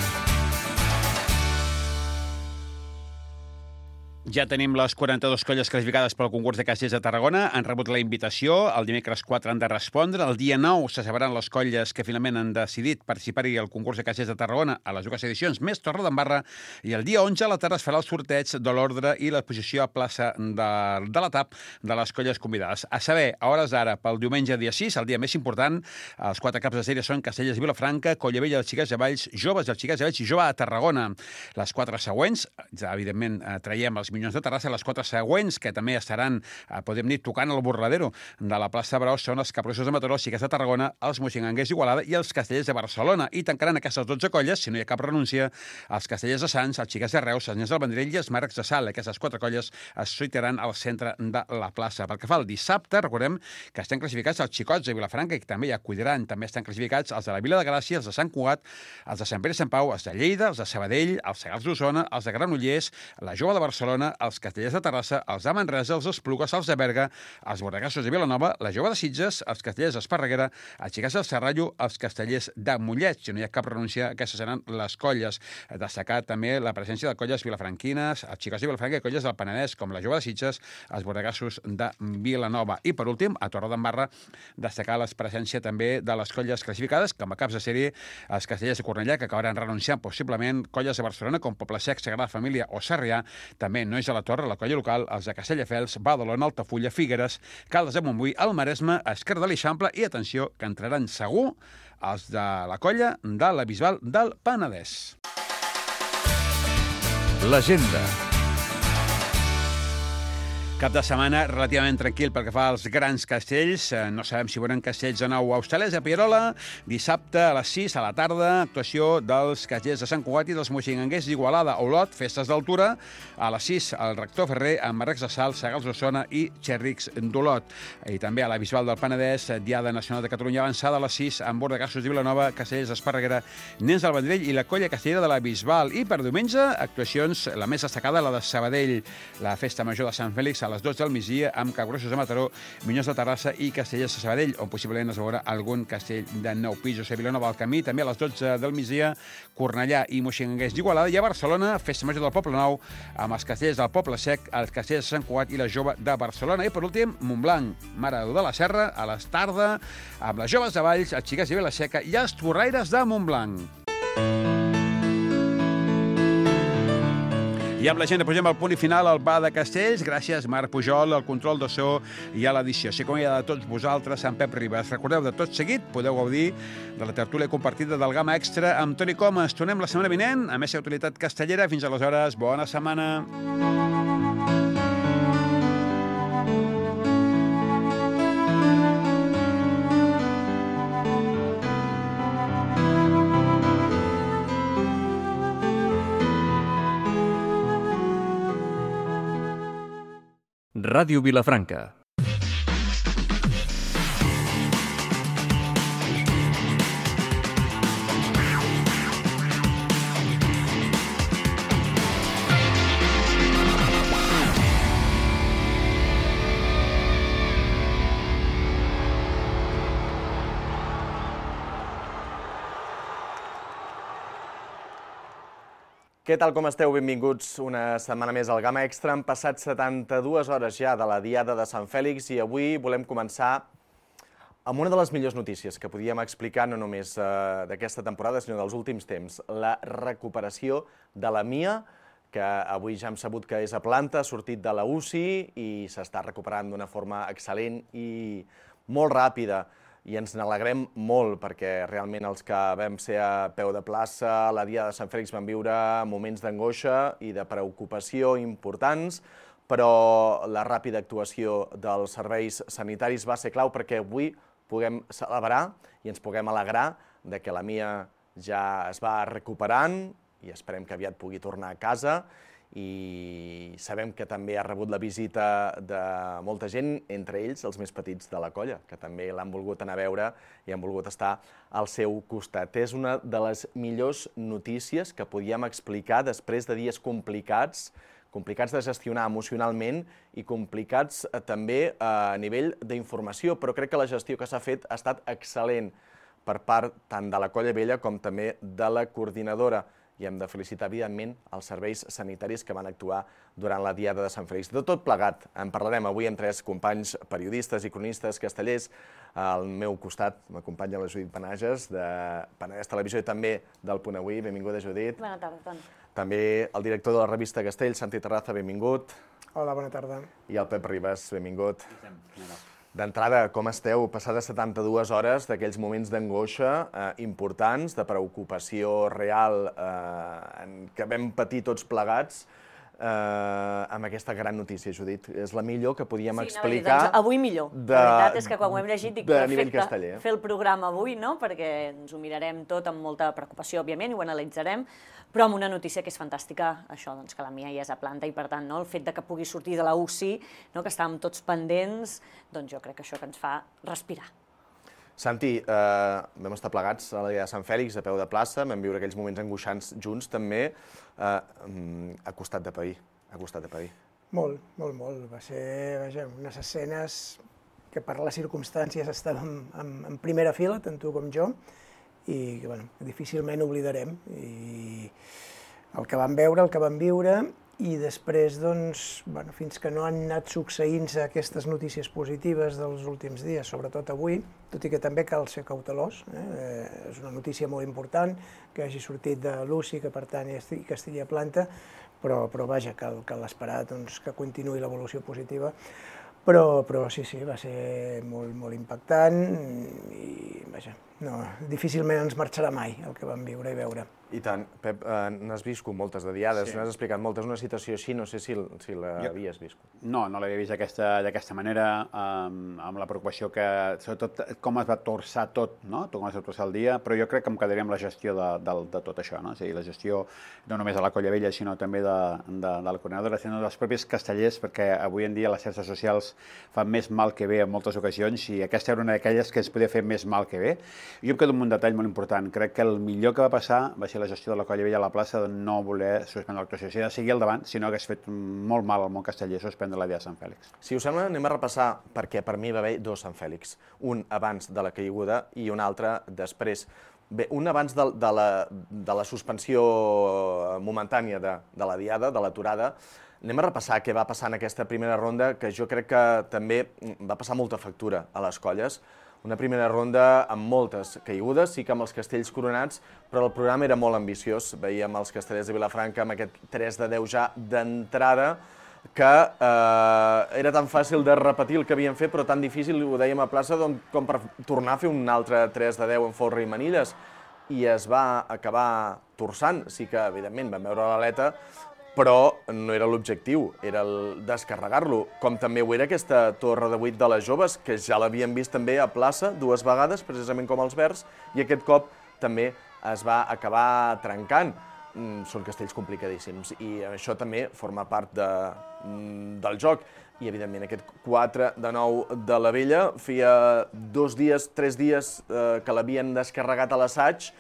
Ja tenim les 42 colles classificades pel concurs de castells de Tarragona. Han rebut la invitació. El dimecres 4 han de respondre. El dia 9 se sabran les colles que finalment han decidit participar-hi al concurs de castells de Tarragona a les dues edicions, més Torredembarra. I el dia 11 a la tarda es farà el sorteig de l'ordre i la posició a plaça de l'etap de les colles convidades. A saber, a hores d'ara, pel diumenge dia 6, el dia més important, els 4 caps de sèrie són Castellers de Vilafranca, Collavella dels Xiques de Valls, Joves dels Xiques de Valls i Jove de Tarragona. Les 4 següents, ja, evidentment, traiem els Minyons de Terrassa, les 4 següents, que també estaran, podem dir, tocant el borradero de la plaça de Braus, són els Capgrossos de Mataró, Xiques de Tarragona, els Moixinguenguers d'Igualada i els Castellers de Barcelona. I tancaran aquestes 12 colles, si no hi ha cap renúncia, els Castellers de Sants, els Xiques de Reus, els Nens del Vendrell i els Marcs de Salt. Aquestes 4 colles es sortiran al centre de la plaça. Pel que fa al dissabte, recordem que estan classificats els Xicots de Vilafranca, que també hi acudiran. També estan classificats els de la Vila de Gràcia, els de Sant Cugat, els de Sant Pere i Sant Pau, els de Lleida, els de Sabadell, els Segals d'Osona, els de Granollers, la Jove de Barcelona, els Castellers de Terrassa, els de Manresa, els Esplugues, els de Berga, els Bordegassos de Vilanova, la Jove de Sitges, els Castellers d'Esparreguera, els Xiques del Serrallo, els Castellers de Mollet. Si no hi ha cap renúncia, aquestes seran les colles. Destacar també la presència de colles vilafranquines, els Xicots de Vilafranca i colles del Penedès, com la Jove de Sitges, els Bordegassos de Vilanova. I, per últim, a Torredembarra, destacar la presència també de les colles classificades, com a caps de sèrie, els Castellers de Cornellà, que acabaran renunciant possiblement, colles de Barcelona, com Poble Sec, Sagrada Família o Sarrià, també Nois de la Torre, la colla local, els de Castelldefels, Badalona, Altafulla, Figueres, Caldes de Montbui, el Maresme, Esquerda de l'Eixample i, atenció, que entraran segur els de la colla de la Bisbal del Penedès. L'agenda. Cap de setmana relativament tranquil pel que fa als grans castells. No sabem si veurem castells de nou a Hostalets, a Pierola. Dissabte a les 6 a la tarda, actuació dels castellers de Sant Cugat i dels Moixinguenguers d'Igualada. Olot, festes d'altura. A les 6 al Rector Ferrer, amb Marrecs de Salt, Segals d'Osona i Xerrics d'Olot. I també a la Bisbal del Penedès, Diada Nacional de Catalunya avançada a les 6, amb Bordegassos de Vilanova, Castellers d'Esparreguera, Nens del Vendrell i la colla castellera de la Bisbal. I per diumenge, actuacions, la més destacada, la de Sabadell, la festa major de Sant Fèlix a les 12 del migdia, amb Capgrossos de Mataró, Minyons de Terrassa i Castellers de Sabadell, on possiblement es veurà algun castell de 9 pisos. A Vilanova del Camí, també a les 12 del migdia, Cornellà i Moixinguenguers d'Igualada. I a Barcelona, festa major del Poble Nou, amb els castellers del Poble Sec, els castellers de Sant Cugat i la Jove de Barcelona. I per últim, Montblanc, Mare de la Serra, a les tarda, amb les Joves de Valls, els Xiques de Vilaseca i els Torraires de Montblanc. I amb la gent posem el punt i final al Bar de Castells. Gràcies, Marc Pujol, al control de so i a l'edició. Així com hi ha de tots vosaltres, Sant Pep Ribas. Recordeu, de tot seguit podeu gaudir de la tertúlia compartida del Gamma Extra amb Toni Comas. Tornem la setmana vinent a Més Actualitat Castellera. Fins aleshores, bona setmana. Ràdio Vilafranca. Què tal, com esteu? Benvinguts una setmana més al Gamma Extra. Han passat 72 hores ja de la Diada de Sant Fèlix i avui volem començar amb una de les millors notícies que podíem explicar no només d'aquesta temporada, sinó dels últims temps. La recuperació de la Mia, que avui ja hem sabut que és a planta, ha sortit de la UCI i s'està recuperant d'una forma excel·lent i molt ràpida. I ens n'alegrem molt perquè realment els que vam ser a peu de plaça a la Diada de Sant Fèlix van viure moments d'angoixa i de preocupació importants, però la ràpida actuació dels serveis sanitaris va ser clau perquè avui puguem celebrar i ens puguem alegrar de que la Mia ja es va recuperant i esperem que aviat pugui tornar a casa. I sabem que també ha rebut la visita de molta gent, entre ells els més petits de la colla, que també l'han volgut anar a veure i han volgut estar al seu costat. És una de les millors notícies que podíem explicar després de dies complicats de gestionar emocionalment i complicats també a nivell d'informació, però crec que la gestió que s'ha fet ha estat excel·lent per part tant de la Colla Vella com també de la coordinadora. I hem de felicitar, evidentment, els serveis sanitaris que van actuar durant la Diada de Sant Fèlix. De tot plegat, en parlarem avui amb tres companys periodistes i cronistes castellers. Al meu costat m'acompanya la Judit Panages, de Penedès Televisió i també del Punt Avui. Benvinguda, Judit. Bona tarda, Toni. També el director de la revista Castell, Santi Terraza, benvingut. Hola, bona tarda. I el Pep Ribas, benvingut. D'entrada, com esteu? Passades 72 hores d'aquells moments d'angoixa importants, de preocupació real que vam patir tots plegats amb aquesta gran notícia, Judit. És la millor que podíem explicar. Doncs avui millor. La veritat és que quan ho hem llegit dic perfecte fer el programa avui, no? Perquè ens ho mirarem tot amb molta preocupació, òbviament, i ho analitzarem, però amb una notícia que és fantàstica, això, doncs, que la Mia ja és a planta i, per tant, no, el fet de que pugui sortir de la UCI, no, que estàvem tots pendents, doncs jo crec que això que ens fa respirar. Santi, vam estar plegats a la Diada de Sant Fèlix, a peu de plaça, vam viure aquells moments angoixants junts, també, a costat de pair. Molt. Va ser, vaja, unes escenes que per les circumstàncies estàvem en primera fila, tant tu com jo, i que, bueno, difícilment oblidarem. I el que vam veure, el que vam viure, i després, doncs, bueno, fins que no han anat succeint-se aquestes notícies positives dels últims dies, sobretot avui, tot i que també cal ser cautelós, és una notícia molt important, que hagi sortit de l'UCI, que per tant que estigui a planta, però vaja, cal esperar doncs, que continuï l'evolució positiva. Però sí, va ser molt impactant i, vaja, no, difícilment ens marxarà mai el que vam viure i veure. I tant. Pep, n'has viscut moltes de diades, n'has explicat moltes. Una situació així, no sé si l'havies viscut. No l'havia vist d'aquesta manera, amb la preocupació que, sobretot, com es va torçar tot, no? Com es va torçar el dia, però jo crec que em quedaria amb la gestió de tot això, no? O sigui, la gestió no només de la Colla Vella, sinó també de la coordinadora, sinó dels propis castellers, perquè avui en dia les xarxes socials fan més mal que bé en moltes ocasions i aquesta era una d'aquelles que es podia fer més mal que bé. Jo em quedo amb un detall molt important. Crec que el millor que va passar va ser la gestió de la Colla Vella a la plaça de no voler suspendre l'actuació. Si ha de seguir al davant, si no hagués fet molt mal al món casteller suspendre la Diada de Sant Fèlix. Si us sembla, anem a repassar, perquè per mi va haver dos Sant Fèlix. Un abans de la caiguda i un altre després. Bé, un abans de la suspensió momentània de la Diada, de l'aturada. Anem a repassar què va passar en aquesta primera ronda, que jo crec que també va passar molta factura a les colles. Una primera ronda amb moltes caigudes, sí que amb els castells coronats, però el programa era molt ambiciós. Veiem els castellers de Vilafranca amb aquest 3 de 10 ja d'entrada, que era tan fàcil de repetir el que havien fet, però tan difícil, ho dèiem a plaça, com per tornar a fer un altre 3 de 10 en folre i manilles. I es va acabar torçant. Sí que, evidentment, vam veure l'aleta, però no era l'objectiu, era el descarregar-lo, com també ho era aquesta torre de 8 de les joves, que ja l'havíem vist també a plaça 2 vegades, precisament com els Verds, i aquest cop també es va acabar trencant. són castells complicadíssims i això també forma part del joc. I, evidentment, aquest 4 de 9 de la Vella feia 2 dies, 3 dies que l'havien descarregat a l'assaig.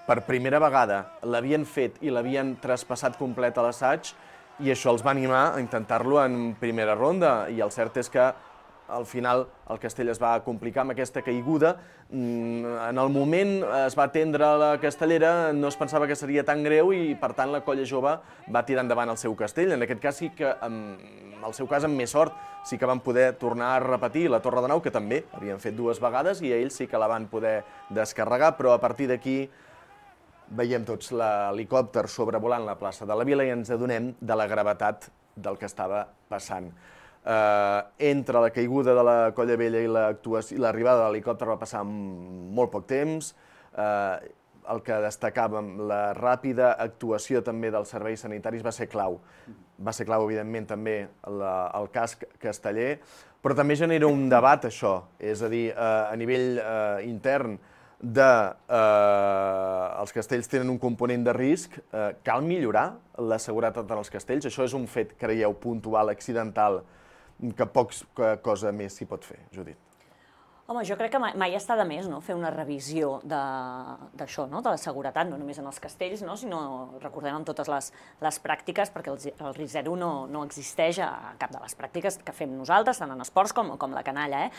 Per primera vegada l'havien fet i l'havien traspassat complet a l'assaig i això els va animar a intentar-lo en primera ronda. I el cert és que al final el castell es va complicar amb aquesta caiguda. En el moment es va atendre la castellera, no es pensava que seria tan greu i, per tant, la colla jove va tirar endavant el seu castell. En aquest cas sí que, en el seu cas, amb més sort, sí que van poder tornar a repetir la Torre de Nau, que també havien fet 2 vegades, i ells sí que la van poder descarregar, però a partir d'aquí veiem tots l'helicòpter sobrevolant la plaça de la Vila i ens adonem de la gravetat del que estava passant. Entre la caiguda de la Colla Vella i l'arribada de l'helicòpter va passar molt poc temps. El que destacàvem, la ràpida actuació també dels serveis sanitaris va ser clau. Va ser clau, evidentment, també el casc casteller, però també genera un debat, això, és a dir, a nivell intern, els castells tenen un component de risc, cal millorar la seguretat en els castells? Això és un fet, creieu, puntual, accidental, que poca cosa més s'hi pot fer, Judit? Home, jo crec que mai està de més fer una revisió d'això, de la seguretat, no només en els castells, sinó, recordem, en totes les pràctiques, perquè el risc zero no existeix a cap de les pràctiques que fem nosaltres, tant en esports com la canalla,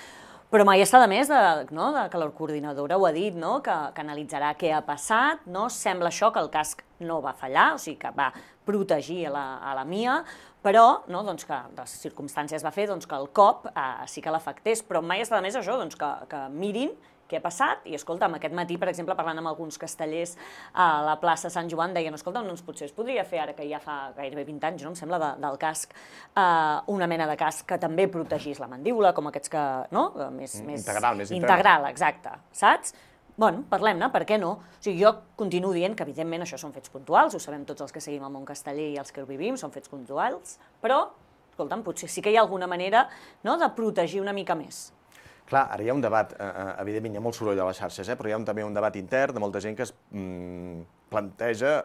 Però mai està de més que la coordinadora ho ha dit, que analitzarà què ha passat. Sembla això que el casc no va fallar, o sigui que va protegir a la Mia, però que les circumstàncies va fer que el cop sí que l'afectés. Però mai està de més això, que mirin què ha passat, i escolta'm, aquest matí, per exemple, parlant amb alguns castellers a la plaça Sant Joan, deien, escolta'm, doncs potser es podria fer, ara que ja fa gairebé 20 anys, em sembla, del casc, una mena de casc que també protegís la mandíbula, com aquests que, més integral, exacte, saps? Bueno, parlem-ne, per què no? O sigui, jo continuo dient que, evidentment, això són fets puntuals, ho sabem tots els que seguim el món casteller i els que ho vivim, són fets puntuals, però, escolta'm, potser sí que hi ha alguna manera de protegir una mica més. Clar, ara hi ha un debat, evidentment hi ha molt soroll a les xarxes, però hi ha també un debat intern de molta gent que es planteja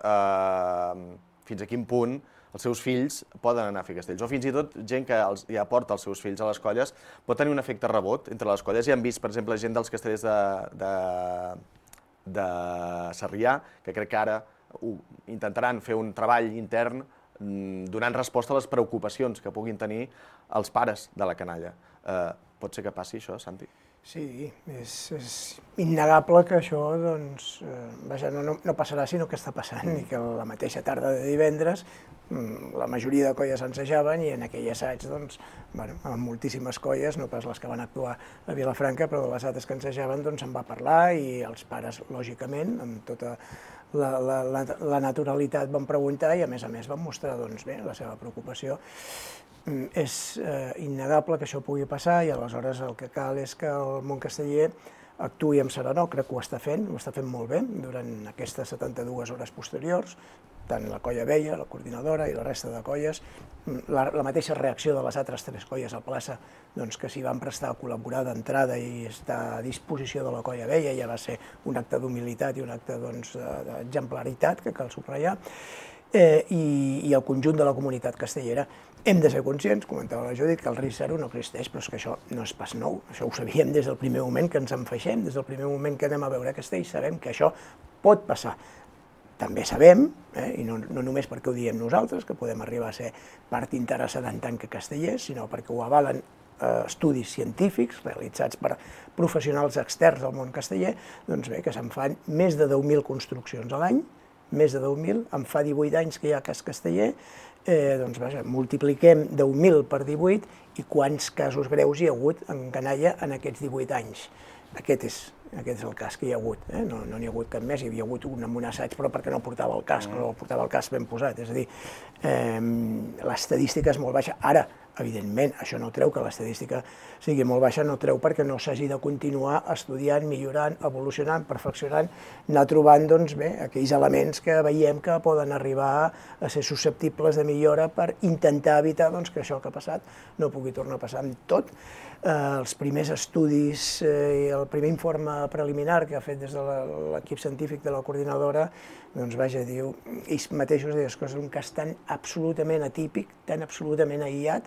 fins a quin punt els seus fills poden anar a fer castells, o fins i tot gent que ja porta els seus fills a les colles pot tenir un efecte rebot entre les colles. Ja hem vist, per exemple, gent dels castellers de Sarrià, que crec que ara intentaran fer un treball intern donant resposta a les preocupacions que puguin tenir els pares de la canalla. Pot ser que passi això, Santi? Sí, és innegable que això no passarà, sinó que està passant, i que la mateixa tarda de divendres la majoria de colles ensajaven, i en aquell assaig, amb moltíssimes colles, no pas les que van actuar a Vilafranca, però les altres que ensajaven se'n va parlar, i els pares, lògicament, amb tota la naturalitat van preguntar, i a més van mostrar la seva preocupació. És innegable que això pugui passar, i aleshores el que cal és que el món casteller actuï amb serenor. Crec que ho està fent molt bé durant aquestes 72 hores posteriors, tant la colla vella, la coordinadora i la resta de colles. La mateixa reacció de les altres 3 colles a plaça, que s'hi van prestar a col·laborar d'entrada i estar a disposició de la colla vella, ja va ser un acte d'humilitat i un acte d'exemplaritat que cal subratllar, i el conjunt de la comunitat castellera. Hem de ser conscients, comentava la Judit, que el risc zero no existeix, però és que això no és pas nou. Això ho sabíem des del primer moment que ens enfaixem, des del primer moment que anem a veure castells, sabem que això pot passar. També sabem, i no només perquè ho diem nosaltres, que podem arribar a ser part interessada en tant que castellers, sinó perquè ho avalen estudis científics realitzats per professionals externs del món casteller, que se'n fan més de 10.000 construccions a l'any, més de 10.000, em fa 18 anys que hi ha casc casteller, multipliquem 10.000 per 18 i quants casos greus hi ha hagut en canalla en aquests 18 anys. Aquest és el cas que hi ha hagut, no n'hi ha hagut cap més, hi havia hagut un amb un assaig, però perquè no portava el casc, no portava el casc ben posat, és a dir, l'estadística és molt baixa. Ara, Evidentment, això no treu que l'estadística sigui molt baixa, no treu perquè no s'hagi de continuar estudiant, millorant, evolucionant, perfeccionant, anar trobant aquells elements que veiem que poden arribar a ser susceptibles de millora per intentar evitar que això que ha passat no pugui tornar a passar amb tot. Els primers estudis i el primer informe preliminar que ha fet des de l'equip científic de la coordinadora, diu, ells mateixos diuen que és un cas tan absolutament atípic, tan absolutament aïllat,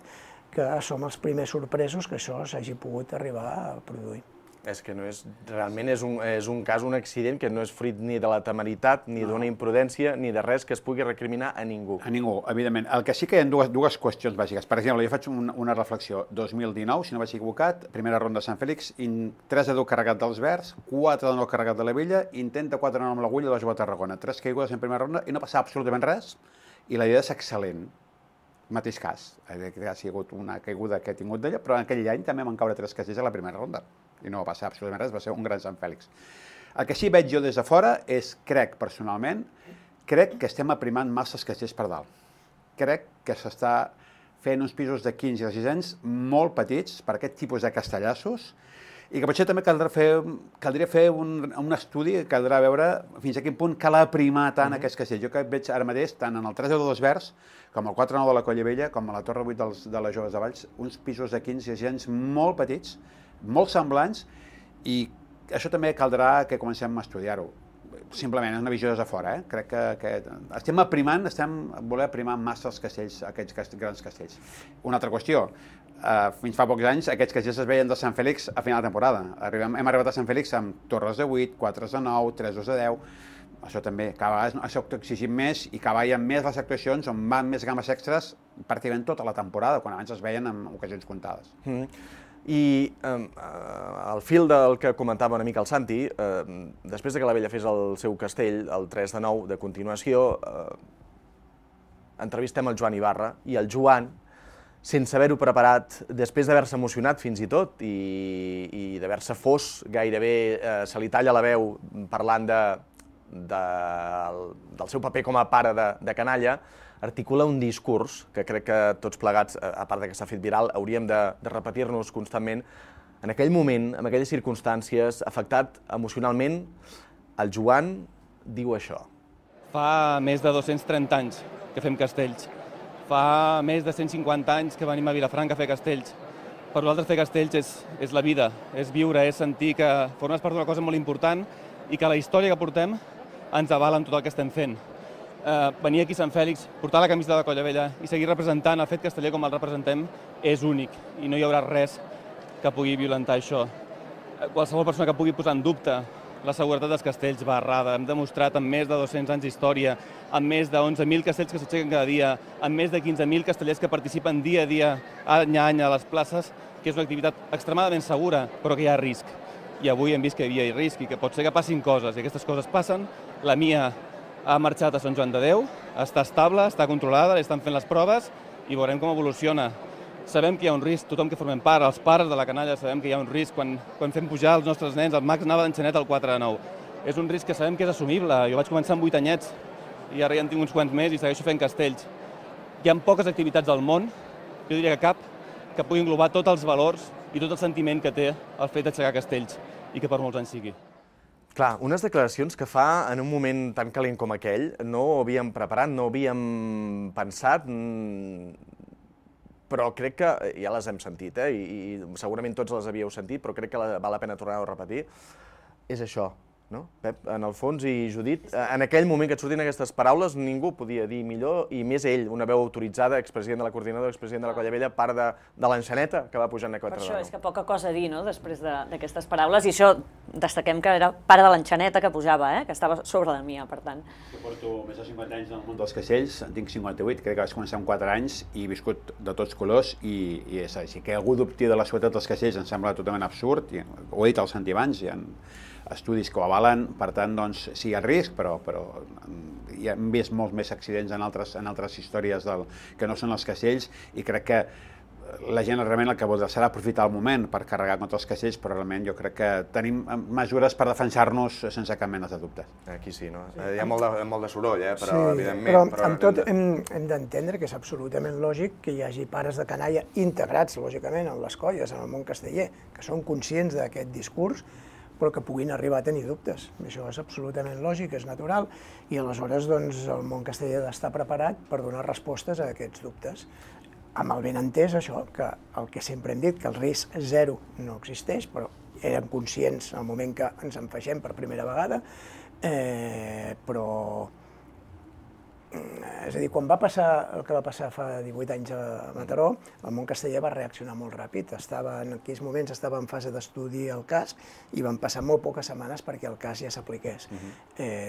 que som els primers sorpresos que això s'hagi pogut arribar a produir. És que realment és un cas, un accident que no és fruit ni de la temeritat, ni d'una imprudència, ni de res que es pugui recriminar a ningú. A ningú, evidentment. El que sí que hi ha dues qüestions bàsiques. Per exemple, jo faig una reflexió. 2019, si no vaig equivocat, primera ronda de Sant Fèlix, 3-2 carregat dels Verds, 4-9 carregat de la Vella, intenta 4-9 amb l'Agulla de la Jove Tarragona. 3 caigudes en primera ronda i no passa absolutament res, i la idea és excel·lent. Mateix cas. Ha sigut una caiguda que he tingut d'ella, però en aquell any també van caure 3 castells a la primera ronda. I no va passar absolutament res, va ser un gran Sant Fèlix. El que sí veig jo des de fora és, personalment, crec que estem aprimant massa els castells per dalt. Crec que s'està fent uns pisos de 15 i de 6 anys molt petits per aquest tipus de castellassos i que potser també caldria fer un estudi, caldrà veure fins a quin punt cal aprimar tant aquests castells. Jo que veig ara mateix, tant en el 3-10 dels Verds, com el 4-9 de la Colla Vella, com a la Torre 8 de les Joves de Valls, uns pisos de 15 i 6 anys molt petits, molt semblants, i això també caldrà que comencem a estudiar-ho. Simplement, és una visió des de fora. Crec que estem voler aprimar massa els castells, aquests grans castells. Una altra qüestió, fins fa pocs anys aquests castells es veien de Sant Fèlix a final de temporada. Hem arribat a Sant Fèlix amb torres de 8, 4 de 9, 3 de 10, això també, cada vegada això ho exigim més i cada vegada hi ha més les actuacions on van més gammes extres pràcticament tota la temporada, quan abans es veien en ocasions comptades. I al fil del que comentava una mica el Santi, després que la Vella fes el seu castell, el 3 de 9, de continuació, entrevistem el Joan Ibarra, i el Joan, sense haver-ho preparat, després d'haver-se emocionat fins i tot, i d'haver-se fos, gairebé se li talla la veu parlant del seu paper com a pare de canalla, articula un discurs que crec que tots plegats, a part que s'ha fet viral, hauríem de repetir-nos constantment. En aquell moment, en aquelles circumstàncies, afectat emocionalment, el Joan diu això. Fa més de 230 anys que fem castells. Fa més de 150 anys que venim a Vilafranca a fer castells. Per nosaltres fer castells és la vida, és viure, és sentir que formes part d'una cosa molt important i que la història que portem ens avala en tot el que estem fent. Venir aquí a Sant Fèlix, portar la camisa de la Colla Vella i seguir representant el fet casteller com el representem és únic i no hi haurà res que pugui violentar això. Qualsevol persona que pugui posar en dubte la seguretat dels castells va errada. Hem demostrat amb més de 200 anys d'història, amb més de 11.000 castells que s'aixequen cada dia, amb més de 15.000 castellers que participen dia a dia, any a any a les places, que és una activitat extremadament segura, però que hi ha risc. I avui hem vist que hi havia risc i que pot ser que passin coses, i aquestes coses passen. La Mia ha marxat a Sant Joan de Déu, està estable, està controlada, li estan fent les proves i veurem com evoluciona. Sabem que hi ha un risc, tothom que formem part, els pares de la canalla, sabem que hi ha un risc quan fem pujar els nostres nens, el Max anava d'enxanet al 4 de 9. És un risc que sabem que és assumible. Jo vaig començar amb 8 anyets i ara ja en tinc uns quants més i segueixo fent castells. Hi ha poques activitats al món, jo diria que cap, que pugui englobar tots els valors i tot el sentiment que té el fet d'aixecar castells i que per molts anys sigui. Clar, unes declaracions que fa en un moment tan calent com aquell, no ho havíem preparat, no ho havíem pensat, però crec que ja les hem sentit, i segurament tots les havíeu sentit, però crec que val la pena tornar-ho a repetir. És això, no, Pep? En el fons, i Judit, en aquell moment que et surtin aquestes paraules, ningú podia dir millor, i més ell, una veu autoritzada, expresident de la coordinadora, expresident de la Colla Vella, part de l'enxaneta que va pujant a 4 de 9. Per això és que poca cosa a dir, no?, després d'aquestes paraules, i això destaquem que era part de l'enxaneta que pujava, que estava sobre la Mia, per tant. Jo porto més de 50 anys en el món dels castells, en tinc 58, crec que vaig començar amb 4 anys i he viscut de tots colors, i és així que algú dubti de la seguretat dels castells em sembla totalment absurd, ho he dit al Santi abans, hi ha estudis que ho avalen, per tant, doncs, sí, hi ha risc, però ja hem vist molts més accidents en altres històries que no són els castells, i crec que la gent realment el que voldrà serà aprofitar el moment per carregar contra els castells, però realment jo crec que tenim mesures per defensar-nos sense cap mena de dubtes. Aquí sí, no? Hi ha molt de soroll, però evidentment... Però amb tot hem d'entendre que és absolutament lògic que hi hagi pares de canalla integrats, lògicament, en les colles, en el món casteller, que són conscients d'aquest discurs, però que puguin arribar a tenir dubtes. Això és absolutament lògic, és natural, i aleshores doncs, el món casteller ha d'estar preparat per donar respostes a aquests dubtes. Amb el benentès, això, que el que sempre hem dit, que el risc zero no existeix, però érem conscients al moment que ens en feixem per primera vegada, però... És a dir, quan va passar el que va passar fa 18 anys a Mataró, el món casteller va reaccionar molt ràpid. En aquells moments estava en fase d'estudi el cas i van passar molt poques setmanes perquè el cas ja s'apliqués.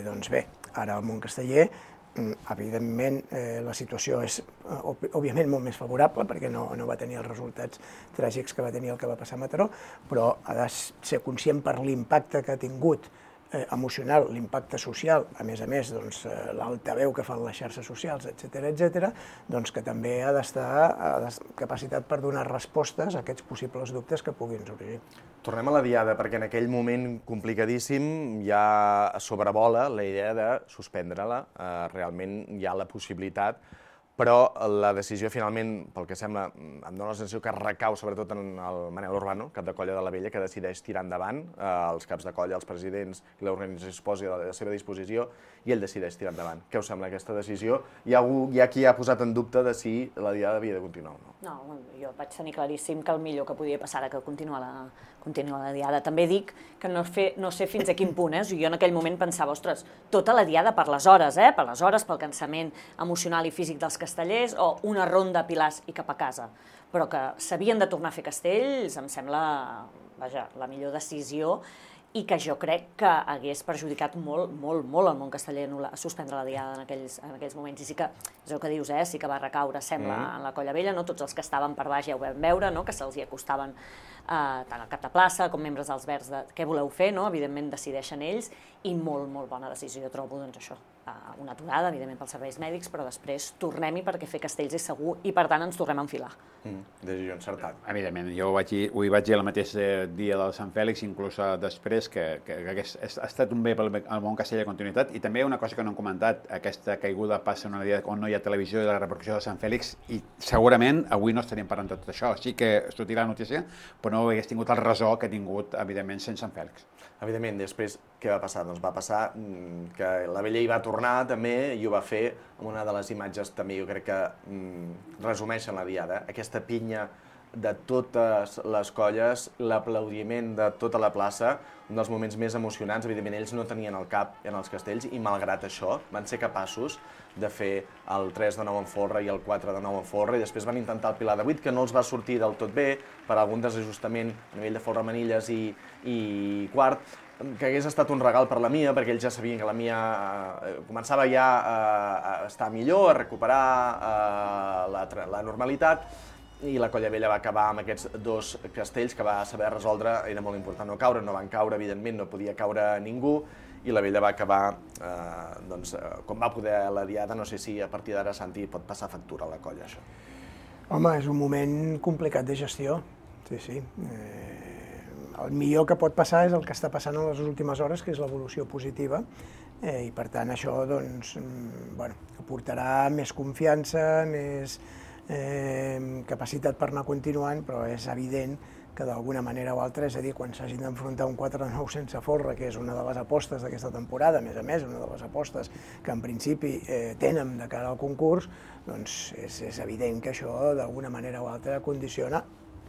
Doncs bé, ara el món casteller, evidentment, la situació és, òbviament, molt més favorable perquè no va tenir els resultats tràgics que va tenir el que va passar a Mataró, però ha de ser conscient per l'impacte que ha tingut emocional, l'impacte social, a més, l'altaveu que fan les xarxes socials, etc., doncs que també ha d'estar capacitat per donar respostes a aquests possibles dubtes que puguin sorgir. Tornem a la Diada, perquè en aquell moment complicadíssim ja sobrevola la idea de suspendre-la. Realment hi ha la possibilitat, però la decisió finalment, pel que sembla, em dóna la sensació que recau sobretot en el Manel Urbano, cap de colla de la Vella, que decideix tirar endavant. Els caps de colla, els presidents i l'organització es posi a la seva disposició i ell decideix tirar endavant. Què us sembla aquesta decisió? Hi ha qui ha posat en dubte de si la Diada havia de continuar o no. No, jo vaig tenir claríssim que el millor que podia passar era que continua la Diada. També dic que no sé fins a quin punt, jo en aquell moment pensava, ostres, tota la Diada per les hores, pel cansament emocional i físic dels castellers, o una ronda a Pilars i cap a casa. Però que s'havien de tornar a fer castells, em sembla, la millor decisió, i que jo crec que hagués perjudicat molt el món casteller suspendre la Diada en aquells moments. I sí que, és el que dius, sí que va recaure, sembla, en la Colla Vella, tots els que estaven per baix ja ho vam veure, que se'ls hi acostaven tant al cap de plaça com membres dels Verds de què voleu fer, evidentment decideixen ells, i molt bona decisió, trobo, doncs això, una aturada, evidentment pels serveis mèdics, però després tornem-hi perquè fer castells és segur i per tant ens tornem a enfilar. Decisió encertat. Evidentment, jo ho hi vaig dir el mateix dia del Sant Fèlix, inclús després, que ha estat un bé pel món casteller de continuïtat, i també una cosa que no hem comentat, aquesta caiguda passa en una dia on no hi ha televisió i la repercussió de Sant Fèlix, i segurament avui no estaríem parlant de tot això, sí que sortirà la notícia, però no hagués tingut el ressò que ha tingut, evidentment, sense Sant Fèlix. Evidentment, després, què va passar? Doncs va passar que la Vella hi va tornar també i ho va fer amb una de les imatges també, jo crec que resumeixen la Diada, aquesta pinya de totes les colles, l'aplaudiment de tota la plaça, un dels moments més emocionants. Evidentment, ells no tenien el cap en els castells i, malgrat això, van ser capaços de fer el 3 de 9 en folre i el 4 de 9 en folre, i després van intentar el Pilar de 8, que no els va sortir del tot bé, per algun desajustament a nivell de folre manilles i quart, que hagués estat un regal per la Mia, perquè ells ja sabien que la Mia començava ja a estar millor, a recuperar la normalitat, i la Colla Vella va acabar amb aquests dos castells que va saber resoldre. Era molt important no caure, no van caure, evidentment, no podia caure ningú, i la Vella va acabar, com va poder la Diada. No sé si a partir d'ara, Santi, pot passar factura a la colla, això. Home, és un moment complicat de gestió, sí. El millor que pot passar és el que està passant en les últimes hores, que és l'evolució positiva, i per tant això aportarà més confiança, més capacitat per anar continuant, però és evident que d'alguna manera o altra, és a dir, quan s'hagin d'enfrontar un 4 de 9 sense folre, que és una de les apostes d'aquesta temporada, a més, una de les apostes que en principi tenen de cara al concurs, doncs és evident que això d'alguna manera o altra condiciona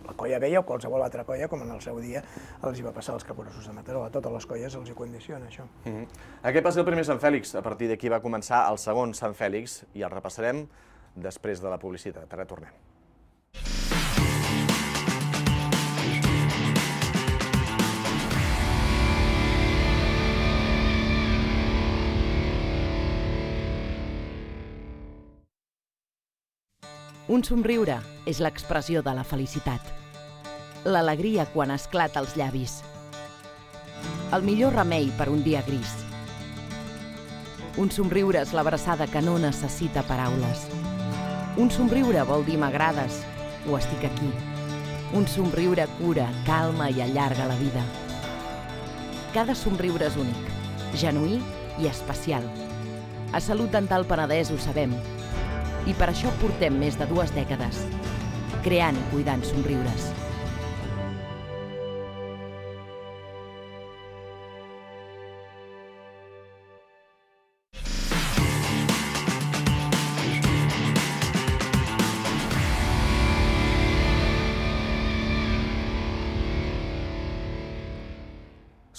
la Colla Vella o qualsevol altra colla, com en el seu dia els hi va passar als Capgrossos de Mataró. A totes les colles els hi condiciona això. Aquest va ser el primer Sant Fèlix. A partir d'aquí va començar el segon Sant Fèlix i el repassarem després de la publicitat. Ara tornem. Un somriure és l'expressió de la felicitat. L'alegria quan esclata als llavis. El millor remei per un dia gris. Un somriure és l'abraçada que no necessita paraules. Un somriure vol dir m'agrades, o estic aquí. Un somriure cura, calma i allarga la vida. Cada somriure és únic, genuí i especial. A Salut Dental Penedès ho sabem. I per això portem més de 2 dècades, creant i cuidant somriures.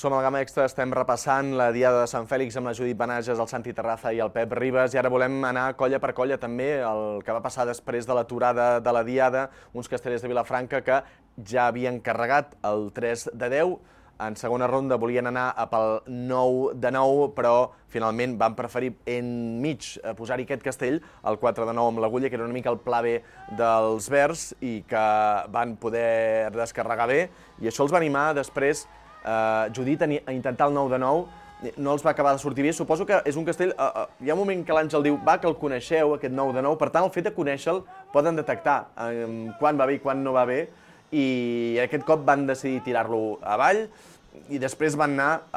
Som al Gamma Extra, estem repassant la Diada de Sant Fèlix amb la Judit Benages, el Santi Terraza i el Pep Ribas, i ara volem anar colla per colla també el que va passar després de l'aturada de la Diada, uns castellers de Vilafranca que ja havien carregat el 3 de 10, en segona ronda volien anar pel 9 de 9, però finalment van preferir enmig posar-hi aquest castell, el 4 de 9 amb l'agulla, que era una mica el pla B dels verds i que van poder descarregar bé, i això els va animar després Judit a intentar el 9 de 9, no els va acabar de sortir bé. Suposo que és un castell, hi ha un moment que l'Àngel diu que el coneixeu, aquest 9 de 9, per tant el fet de conèixer-lo poden detectar quan va bé i quan no va bé, i aquest cop van decidir tirar-lo avall, i després van anar,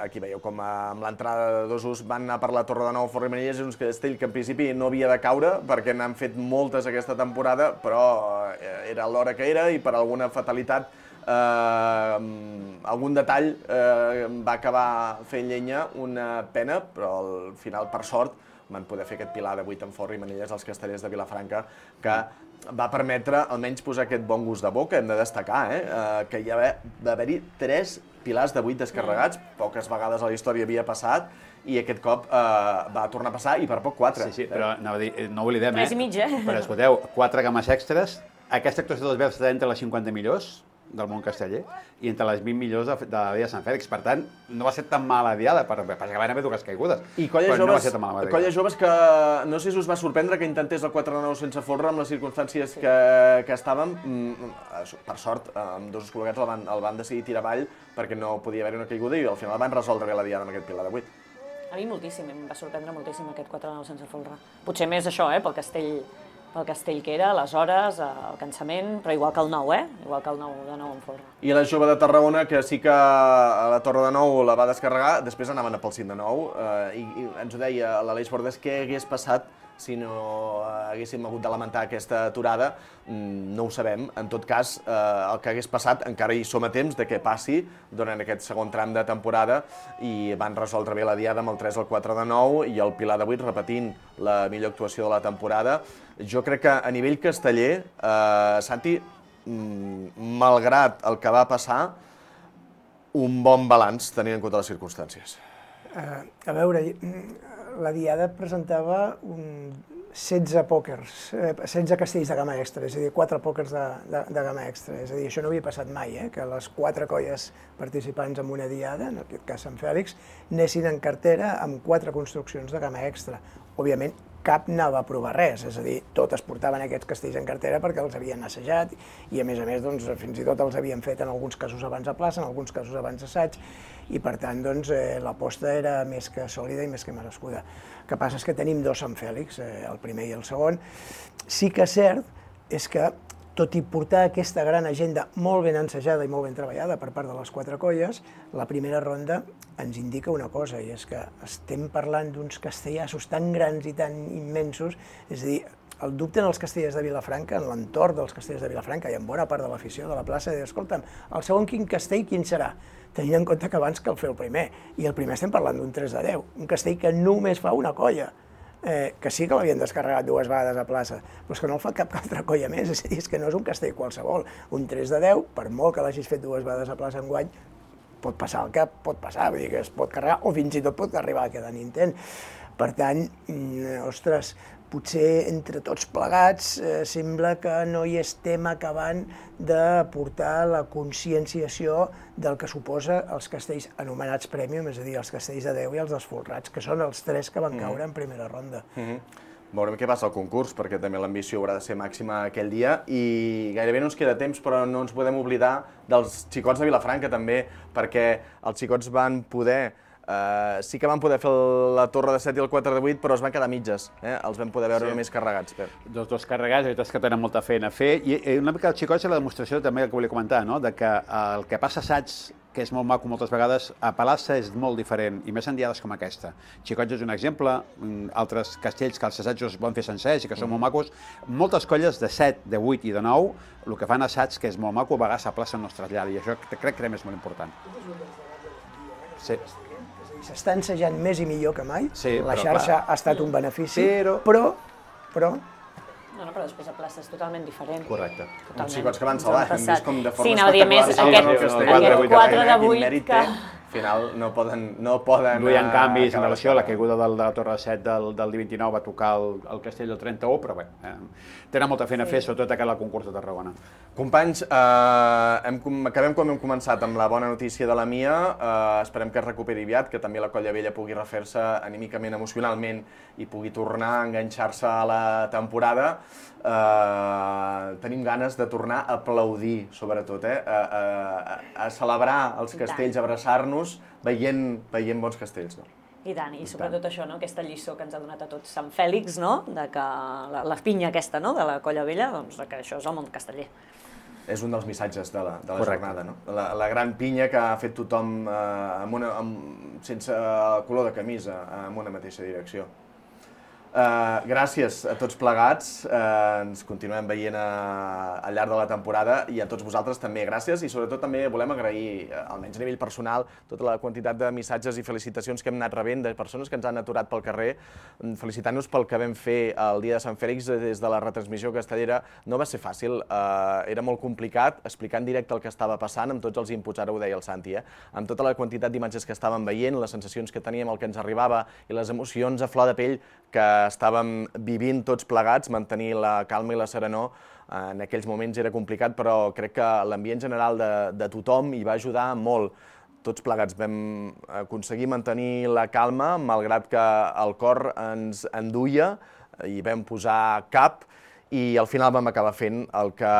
aquí veieu com amb l'entrada de dosos, van anar per la Torre de Nou Forri Manilles, és un castell que en principi no havia de caure, perquè n'han fet moltes aquesta temporada, però era l'hora que era i per alguna fatalitat algun detall va acabar fent llenya, una pena, però al final, per sort, van poder fer aquest pilar de 8 en Forri Manilles als castellers de Vilafranca, que va permetre almenys posar aquest bon gust de boca. Hem de destacar que hi va haver-hi 3 pilars de 8 descarregats, poques vegades a la història havia passat, i aquest cop va tornar a passar, i per poc 4. Sí, però anava a dir, no oblidem, 3 i mig, però escolteu, 4 gammes extres, aquesta actuació dels verds està entre les 50 millors del món casteller i entre les 20 millors de la Diada de Sant Fèlix. Per tant, no va ser tan mala diada, perquè van haver 2 caigudes. I colles joves que no sé si us va sorprendre que intentés el 4 de 9 sense folre amb les circumstàncies que estàvem. Per sort, amb 2 col·legats el van decidir tirar avall perquè no podia haver-hi una caiguda i al final van resoldre bé la diada amb aquest pilar de 8. A mi moltíssim, em va sorprendre moltíssim aquest 4 de 9 sense folre. Potser més això, pel castell que era, les hores, el cansament, però igual que el 9, igual que el 9 de 9 en folre. I la jove de Tarragona, que sí que a la Torre de 9 la va descarregar, després anaven a pel 5 de 9, i ens ho deia l'Aleix Bordes, què hagués passat si no haguéssim hagut de lamentar aquesta aturada, no ho sabem. En tot cas, el que hagués passat, encara hi som a temps de que passi durant aquest segon tram de temporada, i van resoldre bé la diada amb el 3 al 4 de 9 i el pilar de 8 repetint la millor actuació de la temporada. Jo crec que a nivell casteller, Santi, malgrat el que va passar, un bon balanç tenint en compte les circumstàncies. A veure, la Diada presentava 16 pòquers, 16 castells de gamma extra, és a dir, 4 pòquers de gamma extra. És a dir, això no havia passat mai, que les 4 colles participants en una Diada, en aquest cas Sant Fèlix, anessin en cartera amb 4 construccions de gamma extra. Òbviament, cap anava a provar res, és a dir, totes portaven aquests castells en cartera perquè els havien assajat i, a més, fins i tot els havien fet en alguns casos abans a plaça, en alguns casos abans assaig, i per tant l'aposta era més que sòlida i més que merescuda. El que passa és que tenim 2 Sant Fèlix, el primer i el segon. Sí que és cert és que, tot i portar aquesta gran agenda molt ben ensajada i molt ben treballada per part de les 4 colles, la primera ronda ens indica una cosa, i és que estem parlant d'uns castellassos tan grans i tan immensos, és a dir, el dubte en els castellers de Vilafranca, en l'entorn dels castellers de Vilafranca i en bona part de l'afició de la plaça, de dir, escolta'm, el segon quin castell quin serà? Tenint en compte que abans cal fer el primer, i el primer estem parlant d'un 3 de 10, un castell que només fa una colla, que sí que l'havien descarregat 2 vegades a plaça, però és que no el fa cap altra colla més, és a dir, és que no és un castell qualsevol. Un 3 de 10, per molt que l'hagis fet 2 vegades a plaça enguany, pot passar el que pot passar, vull dir que es pot carregar o fins i tot pot arribar a quedar en intent. Per tant, ostres, potser entre tots plegats sembla que no hi estem acabant de portar la conscienciació del que suposa els castells anomenats Premium, és a dir, els castells de 10 i els desfolrats, que són els 3 que van caure en primera ronda. Veurem què passa al concurs, perquè també l'ambició haurà de ser màxima aquell dia, i gairebé no ens queda temps, però no ens podem oblidar dels xicots de Vilafranca també, perquè els xicots van poder Sí que van poder fer la torre de 7 i el 4 de 8, però es van quedar mitges. Els vam poder veure només carregats. Dos carregats, la veritat és que tenen molta feina a fer. I una mica el xicot és la demostració també que volia comentar, de que el que passa a assaigs, que és molt maco moltes vegades, a Palassa és molt diferent, i més en diades com aquesta. Xicots és un exemple, altres castells que els assaigs es poden fer sencers i que són molt macos. Moltes colles de 7, de 8 i de 9, el que fan assaigs, que és molt maco, a vegades a plaça no es trasllada, i això crec que també és molt important. Sí. S'està ensejant més i millor que mai, sí, la xarxa ha estat un benefici, però... No, però després a plaça és totalment diferent. Correcte. Uns xicots que van salvar, hem vist com de forma espectacular. Aquest 4 de 8 que... Al final no poden... Duien canvis en relació a la caiguda de la Torre de 7 del 29, va tocar el castell del 31, però bé, tenen molta feina a fer, sobretot a el concurs de Tarragona. Companys, acabem com hem començat amb la bona notícia de la Mia, esperem que es recuperi aviat, que també la Colla Vella pugui refer-se anímicament, emocionalment i pugui tornar a enganxar-se a la temporada. Tenim ganes de tornar a aplaudir, sobretot, a celebrar els castells, a abraçar-nos veient bons castells. I tant, i sobretot això, aquesta lliçó que ens ha donat a tots Sant Fèlix, de que la pinya aquesta de la Colla Vella, doncs que això és el món casteller. És un dels missatges de la jornada, la gran pinya que ha fet tothom sense color de camisa, en una mateixa direcció. Gràcies a tots plegats, ens continuem veient al llarg de la temporada i a tots vosaltres també gràcies i sobretot també volem agrair, almenys a nivell personal, tota la quantitat de missatges i felicitacions que hem anat rebent de persones que ens han aturat pel carrer felicitant-nos pel que vam fer el dia de Sant Fèlix des de la retransmissió castellera. No va ser fàcil, era molt complicat explicar en directe el que estava passant amb tots els inputs, ara ho deia el Santi, amb tota la quantitat d'imatges que estàvem veient, les sensacions que teníem, el que ens arribava i les emocions a flor de pell que estàvem vivint tots plegats, mantenir la calma i la serenor en aquells moments era complicat, però crec que l'ambient general de tothom hi va ajudar molt. Tots plegats vam aconseguir mantenir la calma, malgrat que el cor ens enduia i vam posar cap i al final vam acabar fent el que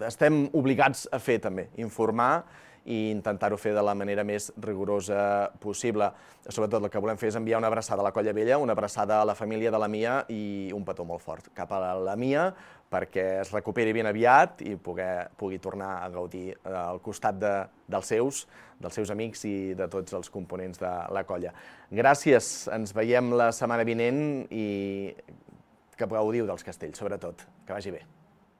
estem obligats a fer també, informar i intentar-ho fer de la manera més rigorosa possible. Sobretot el que volem fer és enviar una abraçada a la Colla Vella, una abraçada a la família de la Mia i un petó molt fort cap a la Mia perquè es recuperi ben aviat i pugui tornar a gaudir al costat dels seus amics i de tots els components de la colla. Gràcies, ens veiem la setmana vinent i que gaudiu dels castells, sobretot. Que vagi bé.